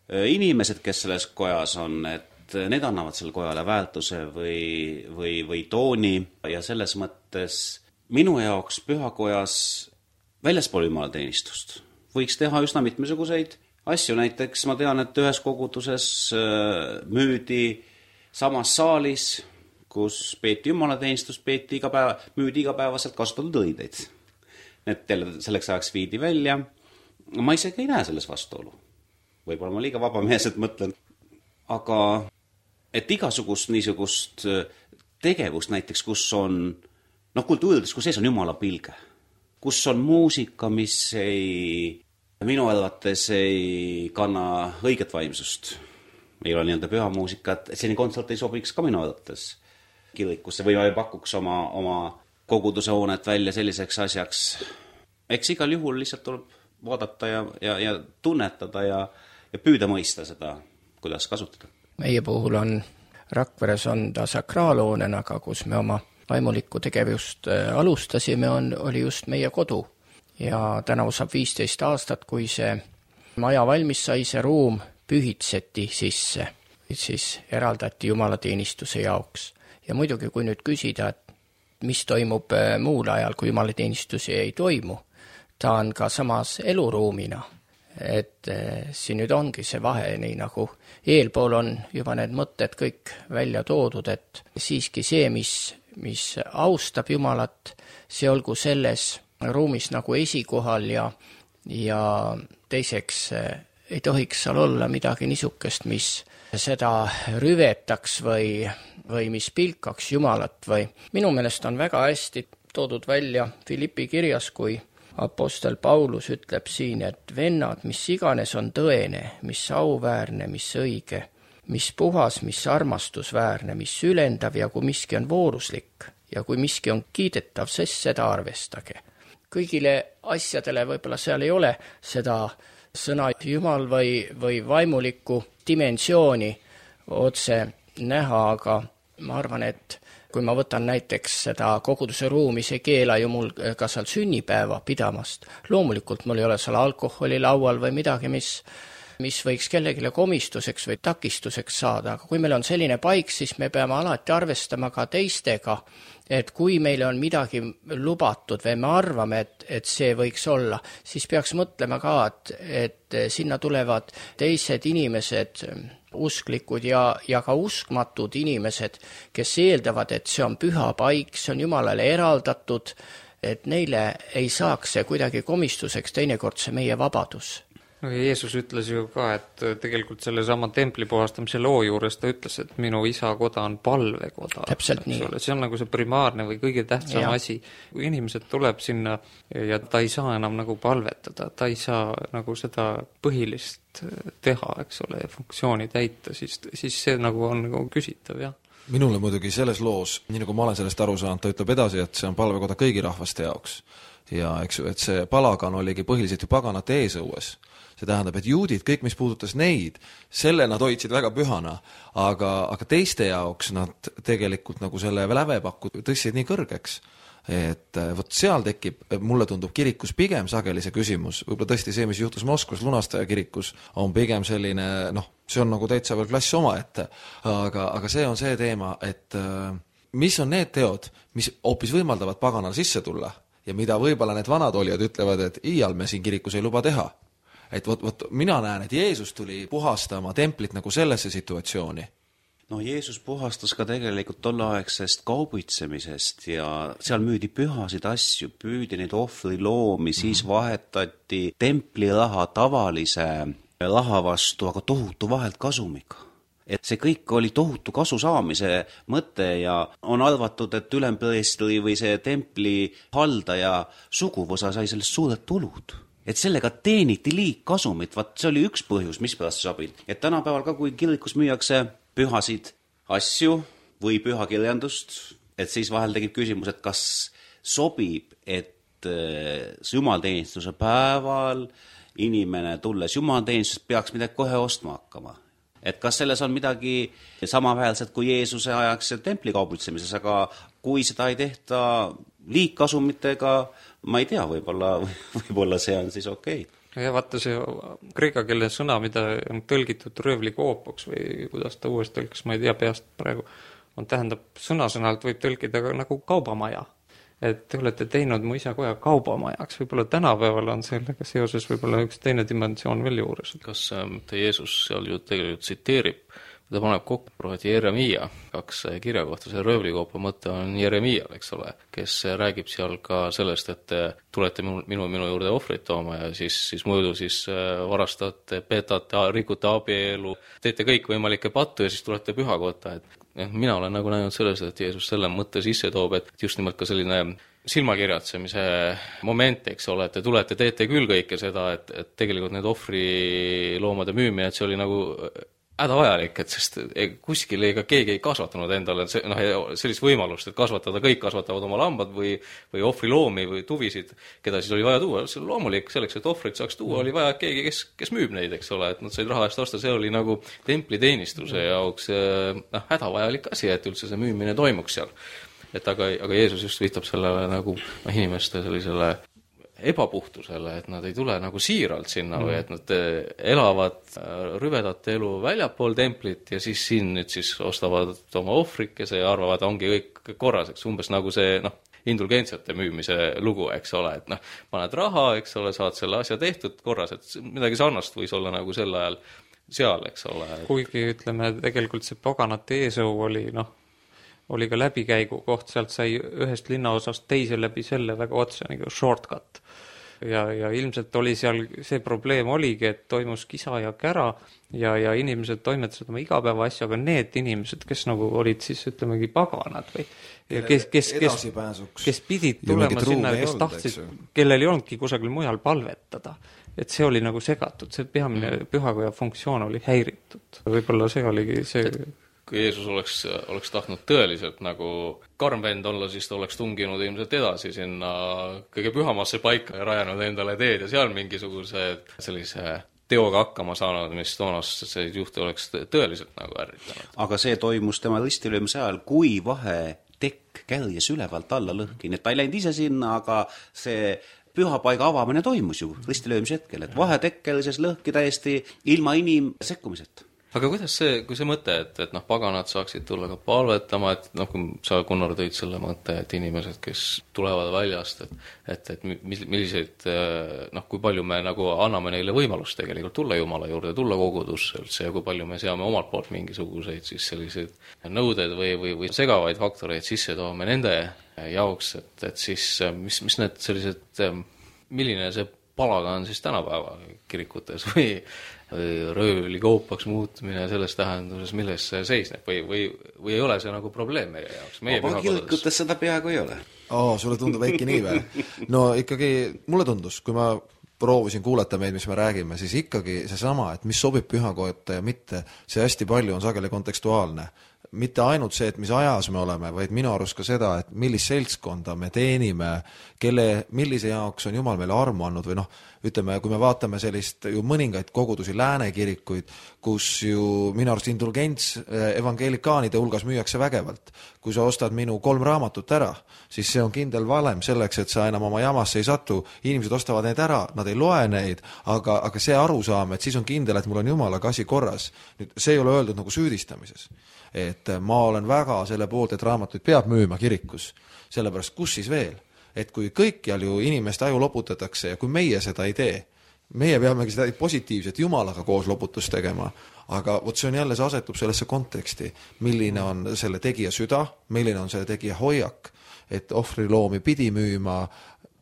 inimesed, kes selles kojas on, et need annavad selle kojale väärtuse või tooni ja selles mõttes minu jaoks pühakojas väljaspool jumalateenistust võiks teha üsna mitmesuguseid asju, näiteks ma tean, et ühes koguduses müüdi samas saalis, kus peeti jumalateenistust, müüdi igapäevaselt kasutatud õideid. Need selleks ajaks viidi välja. Ma isegi ei näe selles vastuolu. Võib-olla ma liiga vabameelselt mõtlen. Aga et igasugust niisugust tegevust näiteks, kus on kultuurides, kus sees on Jumala pilge, kus on muusika, mis minu arvates ei kanna õiget vaimsust. Ei ole nii-öelda püha muusikat, et selline kontsert ei sobiks ka minu arvates kirikusse või pakuks oma koguduse hoonet välja selliseks asjaks. Eks igal juhul lihtsalt tuleb vaadata ja tunnetada ja püüda mõista seda, kuidas kasutada. Meie puhul Rakveres on ta sakraalhoonena, aga kus me oma vaimulikku tegevust alustasime, oli just meie kodu. Ja tänavu saab 15 aastat, kui see maja valmis sai, see ruum pühitseti sisse, siis eraldati jumalateenistuse jaoks. Ja muidugi, kui nüüd küsida, et mis toimub muul ajal, kui jumalateenistusi ei toimu, ta on ka samas eluruumina, et siin nüüd ongi see vahe, nii nagu eelpool on juba need mõtted kõik välja toodud, et siiski see, mis austab Jumalat, see olgu selles ruumis nagu esikohal ja teiseks ei tohiks seal olla midagi niisugust, mis seda rüvetaks või mis pilkaks Jumalat või minu meelest on väga hästi toodud välja Filippi kirjas, kui apostel Paulus ütleb siin, et vennad, mis iganes on tõene, mis auväärne, mis õige, mis puhas, mis armastusväärne, mis ülendav ja kui miski on vooruslik ja kui miski on kiidetav, sest seda arvestage. Kõigile asjadele võib-olla seal ei ole seda sõna Jumal või vaimulikku dimensiooni otse näha, aga ma arvan, et kui ma võtan näiteks seda koguduse ruumi, see keela ju mul ka seal sünnipäeva pidamast. Loomulikult mul ei ole seal alkoholi laual või midagi, mis mis võiks kellegile komistuseks või takistuseks saada, aga kui meil on selline paik, siis me peame alati arvestama ka teistega, et kui meile on midagi lubatud või me arvame, et see võiks olla, siis peaks mõtlema ka, et sinna tulevad teised inimesed, usklikud ja ka uskmatud inimesed, kes eeldavad, et see on püha paik, see on Jumalale eraldatud, et neile ei saaks see kuidagi komistuseks, teinekord see meie vabadus. No Jeesus ütles ju ka, et tegelikult selle sama templi puhastamise loo juures ta ütles, et minu isa koda on palvekoda. Täpselt nii. See on nagu see primaarne või kõige tähtsam asi. Kui inimesed tuleb sinna ja ta ei saa enam nagu palvetada, ta ei saa nagu seda põhilist teha, eks ole, funktsiooni täita, siis see nagu on nagu küsitav, jah. Minule muidugi selles loos, nii nagu ma olen sellest aru saanud, ta ütleb edasi, et see on palvekoda kõigi rahvaste jaoks. Ja eks ju, et see palagan oligi põhiliselt ju paganate eesõues. See tähendab, et juudid, kõik mis puudutas neid, selle nad hoidsid väga pühana, aga teiste jaoks nad tegelikult nagu selle lävepakku tõstsid nii kõrgeks, et vot seal tekib, mulle tundub kirikus pigem sageli see küsimus, võib-olla tõesti see, mis juhtus Moskvas lunastaja kirikus, on pigem selline, see on nagu täitsa veel klass omaette, aga see on see teema, et mis on need teod, mis hoopis võimaldavad paganal sisse tulla ja mida võib-olla need vanad olijad ütlevad, et iial me siin kirikus ei luba teha. Et vot mina näen, et Jeesus tuli puhastama templit nagu sellesse situatsiooni. No Jeesus puhastas ka tegelikult tolleaegsest kaubitsemisest ja seal müüdi pühasid asju, püüdi neid ohvriloomi, siis vahetati templi raha tavalise raha vastu, aga tohutu vahelt kasumiga. Et see kõik oli tohutu kasu saamise mõte ja on arvatud, et ülempreestri või see templi haldaja suguvõsa sai sellest suured tulud. Et sellega teeniti liigkasumit, vaat see oli üks põhjus, mis pärast sobib. Et tänapäeval ka, kui kirikus müüakse pühasid asju või pühakirjandust, et siis vahel tegib küsimus, et kas sobib, et jumalteenistuse päeval inimene tulles jumalteenistusest peaks midagi kohe ostma hakkama. Et kas selles on midagi samaväärselt kui Jeesuse ajaks templi kaubutsemises, aga kui seda ei tehta liigkasumitega, ma ei tea, võib-olla see on siis okei. Ja vaata see kreeka keele sõna, mida on tõlgitud röövlikoopoks või kuidas ta uuesti tõlkis, ma ei tea peast praegu, on tähendab sõnasõnalt võib tõlkida nagu kaubamaja. Et te olete teinud mu isa koja kaubamajaks, võib-olla tänapäeval on sellega seoses võib-olla üks teine dimensioon veel juures. Kas Jeesus seal ju tegelikult tsiteerib, ta paneb kokku prohveti Jeremia, 2 kirja kohta, see röövlikoopa mõte on Jeremial, eks ole, kes räägib seal ka sellest, et tulete minu juurde ohvrit tooma ja siis muidu siis varastate, petate, rikute abielu, teete kõik võimalikke pattu ja siis tulete pühakotta, et mina olen nagu näinud selles, et Jeesus selle mõtte sisse toob, et just nimelt ka selline silmakirjatsemise moment, eks ole, et te tulete, teete küll kõike seda, et tegelikult need ohvriloomade müümine, et see oli nagu hädavajalik, et sest kuskil ega keegi ei kasvatanud endale sellist võimalust, et kasvatada, kõik kasvatavad oma lambad või ohvriloomi või tuvisid, keda siis oli vaja tuua. See loomulik selleks, et ohvrit saaks tuua, oli vaja keegi, kes müüb neid, eks ole, et nad said raha eest osta, see oli nagu templiteenistuse jaoks hädavajalik asi, et üldse see müümine toimuks seal. Et aga Jeesus just viitab sellele nagu inimeste sellisele ebapuhtusele, et nad ei tule nagu siiralt sinna või et nad elavad rüvedat elu väljapool templit ja siis siin nüüd siis ostavad oma ohvrikese ja arvavad, ongi kõik korras, eks umbes nagu see indulgentsiate müümise lugu, eks ole, et paned raha, eks ole, saad selle asja tehtud korras, et midagi sarnast võis olla nagu sel ajal seal, eks ole. Kuigi ütleme, tegelikult see paganate eesõu oli ka läbikäigu koht, sealt sai ühest linnaosast teise läbi selle väga otse nagu shortcut. Ja ilmselt oli seal, see probleem oligi, et toimus kisa ja kära ja inimesed toimetasid oma igapäeva asju, aga need inimesed, kes nagu olid siis ütlemegi paganad või kes pidid tulema sinna, kes tahtsid, kellel ei olnudki kusagil mujal palvetada. Et see oli nagu segatud, see peamine pühakoja funktsioon oli häiritud. Võib-olla see oligi see kui Jeesus oleks tahtnud tõeliselt nagu karm vend olla, siis ta oleks tunginud ilmselt edasi sinna kõige pühamasse paika ja rajanud endale teed ja seal mingisuguse sellise teoga hakkama saanud, mis toonast see juhti oleks tõeliselt nagu ärritanud. Aga see toimus tema ristilöömise ajal, kui vahetekk kärjes ülevalt alla lõhki, et ta ei läinud ise sinna, aga see pühapaiga avamine toimus ju ristilöömise hetkel, et vahetekkel siis lõhki täiesti ilma sekkumiseta. aga kuidas see, kui see mõte, et noh, paganad saaksid tulla ka palvetama, et noh, kui sa, Gunnar, tõid selle mõtte, et inimesed, kes tulevad väljast, et milliseid, noh, kui palju me nagu anname neile võimalust tegelikult tulla Jumala juurde, tulla kogudusse üldse ja kui palju me seame omalt poolt mingisuguseid siis selliseid nõuded või segavaid faktoreid sisse toome nende jaoks, et siis mis need sellised, milline see palaga on siis tänapäeva kirikutes või röövlikoopaks muutumine selles tähenduses, milles see seisneb või ei ole see nagu probleem meie jaoks? Kirikutes seda peaaegu ei ole. Sulle tundub äkki nii või? No ikkagi mulle tundus, kui ma proovisin kuulata meid, mis me räägime, siis ikkagi seesama, et mis sobib pühakotta ja mitte, see hästi palju on sageli kontekstuaalne. Mitte ainult see, et mis ajas me oleme, vaid minu arust ka seda, et millist seltskonda me teenime, millise jaoks on Jumal meile armu andnud või noh, ütleme, kui me vaatame sellist ju mõningaid kogudusi, lääne kirikuid, kus ju minu arust indulgents evangelikaanide hulgas müüakse vägevalt. Kui sa ostad minu 3 raamatut ära, siis see on kindel valem selleks, et sa enam oma jamasse ei satu. Inimesed ostavad neid ära, nad ei loe neid, aga see arusaam, et siis on kindel, et mul on Jumalaga asi korras. Nüüd, see ei ole öeldud nagu süüdistamises. Et ma olen väga selle poolt, et raamatuid peab müüma kirikus. Sellepärast, kus siis veel? Et kui kõikjal ju inimeste aju loputatakse ja kui meie seda ei tee, meie peamegi seda positiivset Jumalaga koos loputust tegema, aga vot see on jälle, see asetub sellesse konteksti, milline on selle tegija süda, milline on selle tegija hoiak, et ohvriloomi pidi müüma,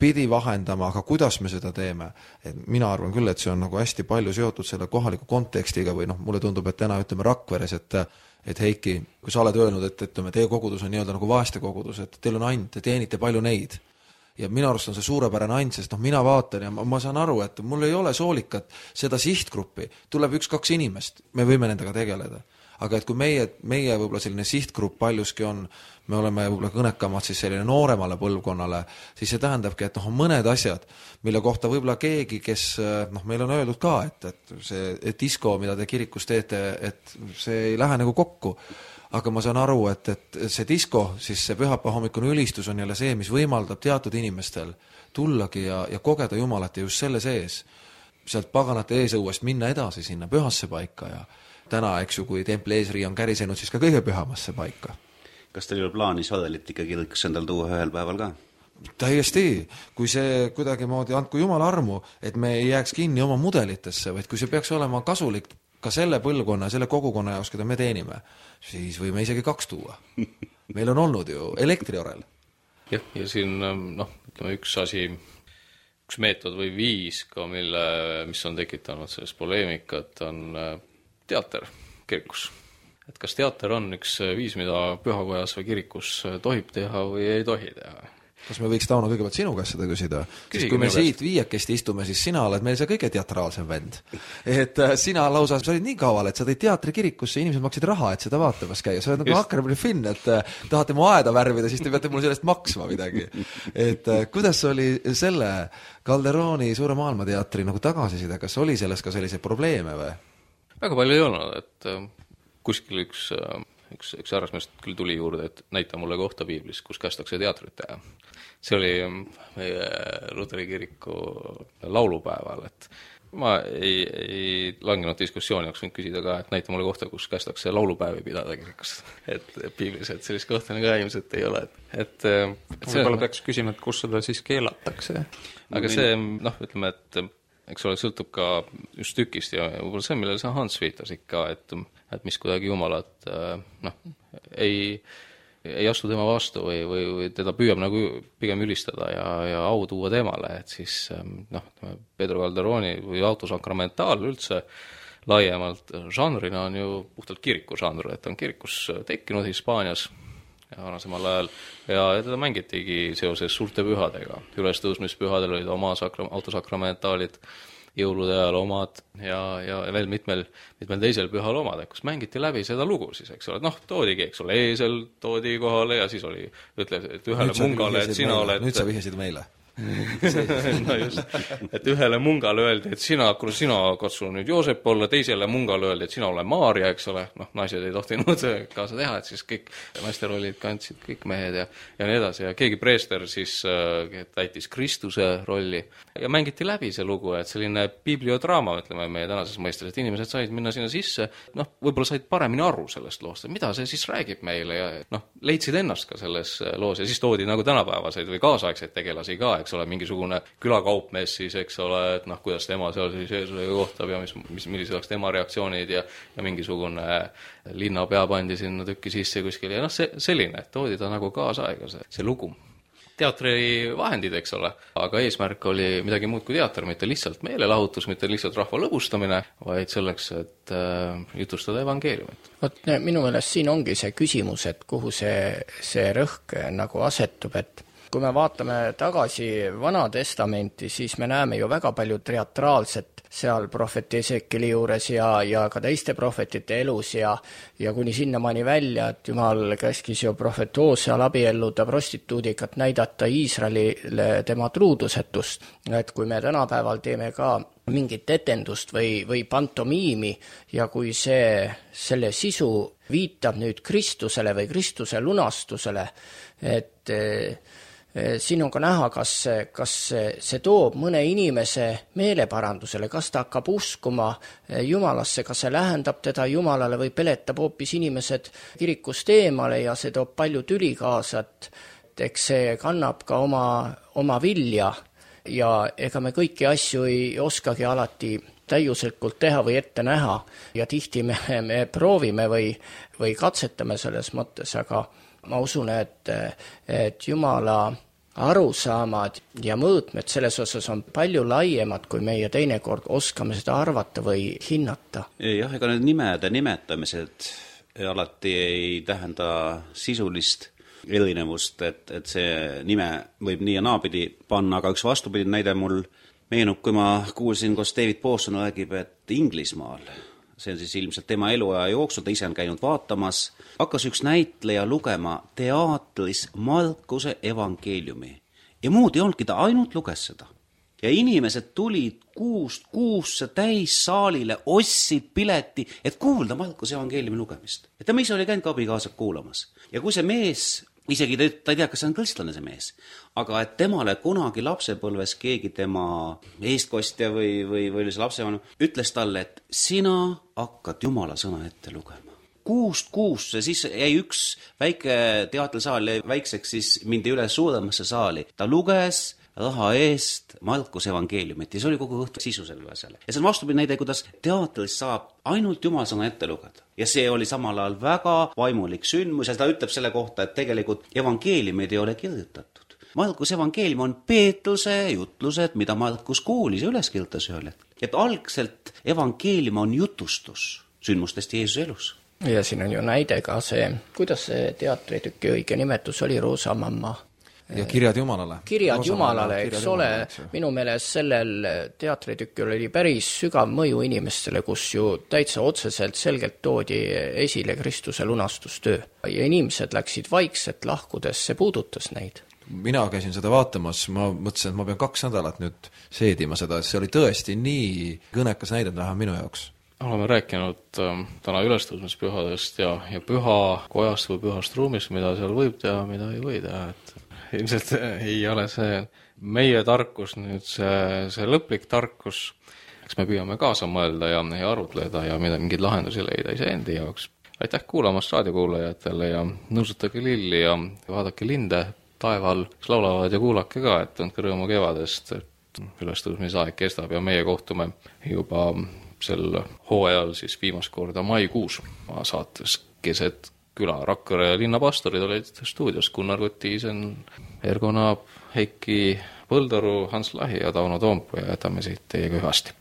pidi vahendama, aga kuidas me seda teeme? Et mina arvan küll, et see on nagu hästi palju seotud selle kohaliku kontekstiga või noh, mulle tundub, et täna ütleme Rakveres, et Heiki, kui sa oled öelnud, et ütleme, teie kogudus on nii-öelda nagu vaeste kogudus, et teil on ainult, te teenite palju neid. Ja minu arust on see suurepärane ainult, sest noh, mina vaatan ja ma saan aru, et mul ei ole soolikat seda sihtgruppi, tuleb 1-2 inimest, me võime nendega tegeleda. Aga et kui meie võib-olla selline sihtgrupp paljuski on, me oleme võib-olla kõnekamad siis selline nooremale põlvkonnale, siis see tähendabki, et noh, on mõned asjad, mille kohta võib-olla keegi, kes noh, meil on öeldud ka, et see disko, mida te kirikus teete, et see ei lähe nagu kokku. Aga ma saan aru, et see disko, siis see pühapäeva hommikune ülistus on jälle see, mis võimaldab teatud inimestel tullagi ja kogeda Jumalat ja just selle sees. Sealt paganate eesõuest minna edasi sinna pühasse paika ja täna, eks ju, kui templi eesrii on kärisenud, siis ka kõige pühamasse paika. Kas teil ei ole plaanis vadelit ikka kirikusse endal tuua ühel päeval ka? Täiesti, kui see kuidagi moodi andku Jumala armu, et me ei jääks kinni oma mudelitesse, vaid kui see peaks olema kasulik ka selle põlvkonna ja selle kogukonna jaoks, keda me teenime, siis võime isegi 2 tuua. Meil on olnud ju elektriorel. Jah, ja siin noh, ütleme üks meetod või viis ka, mis on tekitanud selles poleemikat, on teater kirikus. Et kas teater on üks viis, mida pühakojas või kirikus tohib teha või ei tohi teha? Kas me võiks, Tauno, kõigepealt sinu käest seda küsida? Sest kui me siit 5 istume, siis sina oled meil see kõige teatraalsem vend. Et sina lausa, sa olid nii kaval, et sa tõid teatri kirikusse, inimesed maksid raha, et seda vaatamas käia. Sa oled nagu Huckleberry Finn, et tahate mu aeda värvida, siis te peate mul sellest maksma midagi. Et kuidas oli selle Calderoni Suure maailmateatri nagu tagasiside? Kas oli selles ka selliseid probleeme või? Väga palju ei olnud, et kuskil üks härrasmeest küll tuli juurde, et näita mulle kohta piiblis, kus kästakse teatrit teha. See oli meie Luteri kiriku laulupäeval, et ma ei langenud diskussiooni, oleks võinud küsida ka, et näita mulle kohta, kus kästakse laulupäevi pidada kirikus. Et piiblis, et sellist kohta ka ilmselt ei ole. Võib-olla peaks küsima, et kus seda siis keelatakse. Aga see, noh, ütleme, et eks ole, sõltub ka just tükist ja võib-olla see, millele sa Hans viitas ikka, et mis kuidagi Jumalat noh, ei astu tema vastu või teda püüab nagu pigem ülistada ja au tuua temale, et siis noh, Pedro Calderoni või autosakramentaal üldse laiemalt žanrina on ju puhtalt kiriku žanr, et on kirikus tekkinud Hispaanias ja varasemal ajal ja teda mängitigi seoses suurte pühadega. Ülestõusmispühadel olid oma autosakramentaalid, jõulude ajal omad ja veel mitmel teisel pühal omad, kus mängiti läbi seda lugu siis, eks ole, noh, toodigi, eks ole, eesel toodi kohale ja siis oli, ütle, et ühele mungale, et sina oled... Nüüd sa vihjasid meile. no just, et ühele mungale öeldi, et sina katsu nüüd Joosep olla, teisele mungale öeldi, et sina ole Maarja, eks ole, noh, naised ei tohtinud kaasa teha, et siis kõik naisterollid kandsid kõik mehed ja nii edasi ja keegi preester siis täitis Kristuse rolli ja mängiti läbi see lugu, et selline bibliodraama, ütleme meie tänases mõistes, et inimesed said minna sinna sisse, noh, võib-olla said paremini aru sellest loost, et mida see siis räägib meile ja noh, leidsid ennast ka selles loos ja siis toodi nagu tänapäevaseid või kaasaegseid tegelasi ka, eks ole, mingisugune külakaupmees siis, eks ole, et noh, kuidas tema seal siis Jeesusega kohtab ja millised oleks tema reaktsioonid ja mingisugune linnapea pandi sinna tükki sisse kuskil ja noh, selline, et toodi ta nagu kaasaega see lugu. Teatri vahendid, eks ole, aga eesmärk oli midagi muud kui teater, mitte lihtsalt meelelahutus, mitte lihtsalt rahva lõbustamine, vaid selleks, et jutustada evangeeliumit. Vot minu meelest siin ongi see küsimus, et kuhu see rõhk nagu asetub, et kui me vaatame tagasi Vana Testamenti, siis me näeme ju väga palju teatraalset seal prohvet Esekeli juures ja ka teiste prohvetite elus ja kuni sinnamaani välja, et Jumal käskis ju prohvet Hooseal abielluda prostituudiga, et näidata Iisraelile tema truudusetust. Et kui me tänapäeval teeme ka mingit etendust või pantomiimi ja kui selle sisu viitab nüüd Kristusele või Kristuse lunastusele, et siin on ka näha, kas see toob mõne inimese meeleparandusele, kas ta hakkab uskuma Jumalasse, kas see lähendab teda Jumalale või peletab hoopis inimesed kirikust eemale ja see toob palju tüli kaasa, et eks see kannab ka oma vilja ja ega me kõiki asju ei oskagi alati täiuslikult teha või ette näha ja tihti me proovime või katsetame selles mõttes, aga ma usun, et Jumala arusaamad ja mõõtmed selles osas on palju laiemad, kui meie teinekord oskame seda arvata või hinnata. Jah, ega need nimede nimetamised alati ei tähenda sisulist erinevust, et see nime võib nii ja naapidi panna, aga üks vastupidi näide mul meenub, kui ma kuulsin, kus David Pawson räägib, et Inglismaal, see on siis ilmselt tema eluaja jooksul, ta ise on käinud vaatamas, hakkas üks näitleja lugema teatris Markuse evangeeliumi. Ja muud ei olnudki, ta ainult luges seda. Ja inimesed tulid kuusse täis saalile, ostsid pileti, et kuulda Markuse evangeeliumi lugemist. Et ta ise oli käinud ka abikaasad kuulamas. Ja kui see mees, isegi ta ei tea, kas see on kristlane see mees, aga et temale kunagi lapsepõlves keegi tema eestkostja või oli see lapsevanem, ütles talle, et sina hakkad Jumala sõna ette lugema. Kuusse, siis jäi üks väike teatrisaal jäi väikseks, siis mindi üle suuremasse saali. Ta luges raha eest Markuse evangeeliumit ja see oli kogu õhtu sisu selle asjale. Ja see on vastupidi näide, kuidas teatris saab ainult Jumala sõna ette lugeda. Ja see oli samal ajal väga vaimulik sündmus ja ta ütleb selle kohta, et tegelikult evangeeliumid ei ole kirjutatud. Markuse evangeelium on Peetruse jutlused, mida Markus kuulis ja üles kirjutas ühel hetkel. Et algselt evangeelium on jutustus sündmustest Jeesuse elus. Ja siin on ju näide ka see, kuidas see teatritüki õige nimetus oli, Roosamamma. Ja kirjad Jumalale. Kirjad Jumalale, eks ole, minu meelest sellel teatritükil oli päris sügav mõju inimestele, kus ju täitsa otseselt selgelt toodi esile Kristuse lunastustöö. Ja inimesed läksid vaikselt lahkudes, see puudutas neid. Mina käisin seda vaatamas, ma mõtlesin, et ma pean 2 nädalat nüüd seedima seda, see oli tõesti nii kõnekas näide vähem minu jaoks. Oleme rääkinud täna ülestõusmispühadest ja pühakojast või pühast ruumist, mida seal võib teha, mida ei või teha, et ilmselt ei ole see meie tarkus, nüüd see lõplik tarkus, eks me püüame kaasa mõelda ja arutleda ja mingeid lahendusi leida iseendi jaoks. Aitäh kuulamast raadiokuulajatele ja nõusutage lilli ja vaadake linde taeval, kes laulavad ja kuulake ka, et andke rõõmu kevadest, et ülestõusmisaeg kestab ja meie kohtume juba sel hooajal siis viimast korda maikuus saates Keset küla. Rakvere linnapastorid olid stuudios Gunnar Kotiisen, Ergo Naab, Heiki Põldaru, Hans Lahi ja Tauno Toompu ja jätame siit teiega hüvasti.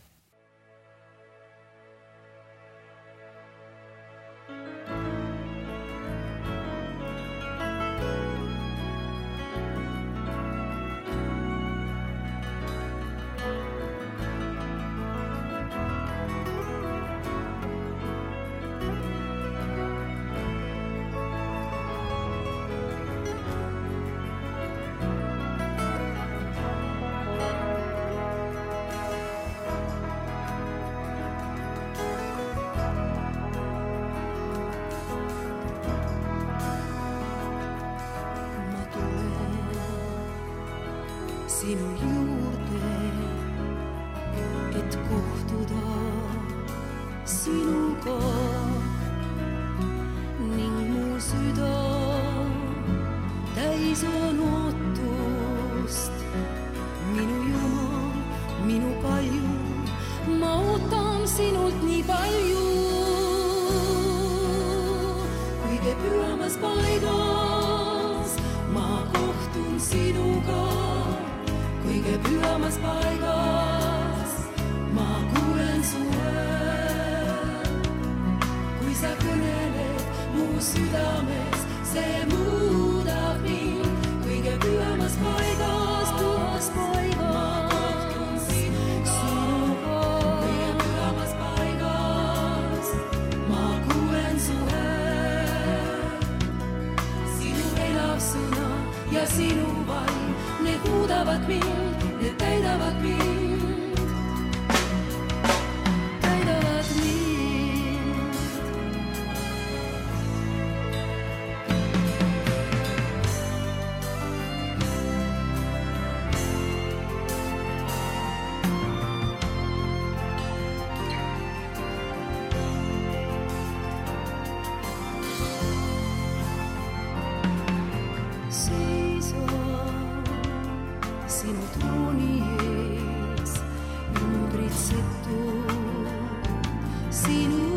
sinu juurde, et kohtuda sinuga ning mu süda täis on ootust. Minu Jumal, minu kalju, ma ootan sinult nii palju. Kõige pühamas paigas ma kohtun sinuga. Kõige pühamas paigas ma kuulen su häält. Kui sa kõneled mu südames, see muudab mind. Kõige pühamas paigas, pühas paigas ma kohtun sinuga. Kõige pühamas paigas ma kuulen su häält. Sinu elav sõna ja sinu vaim, need muudavad mind, need täidavad mind, täidavad mind. Sinu trooni ees, numbritsetu, sinu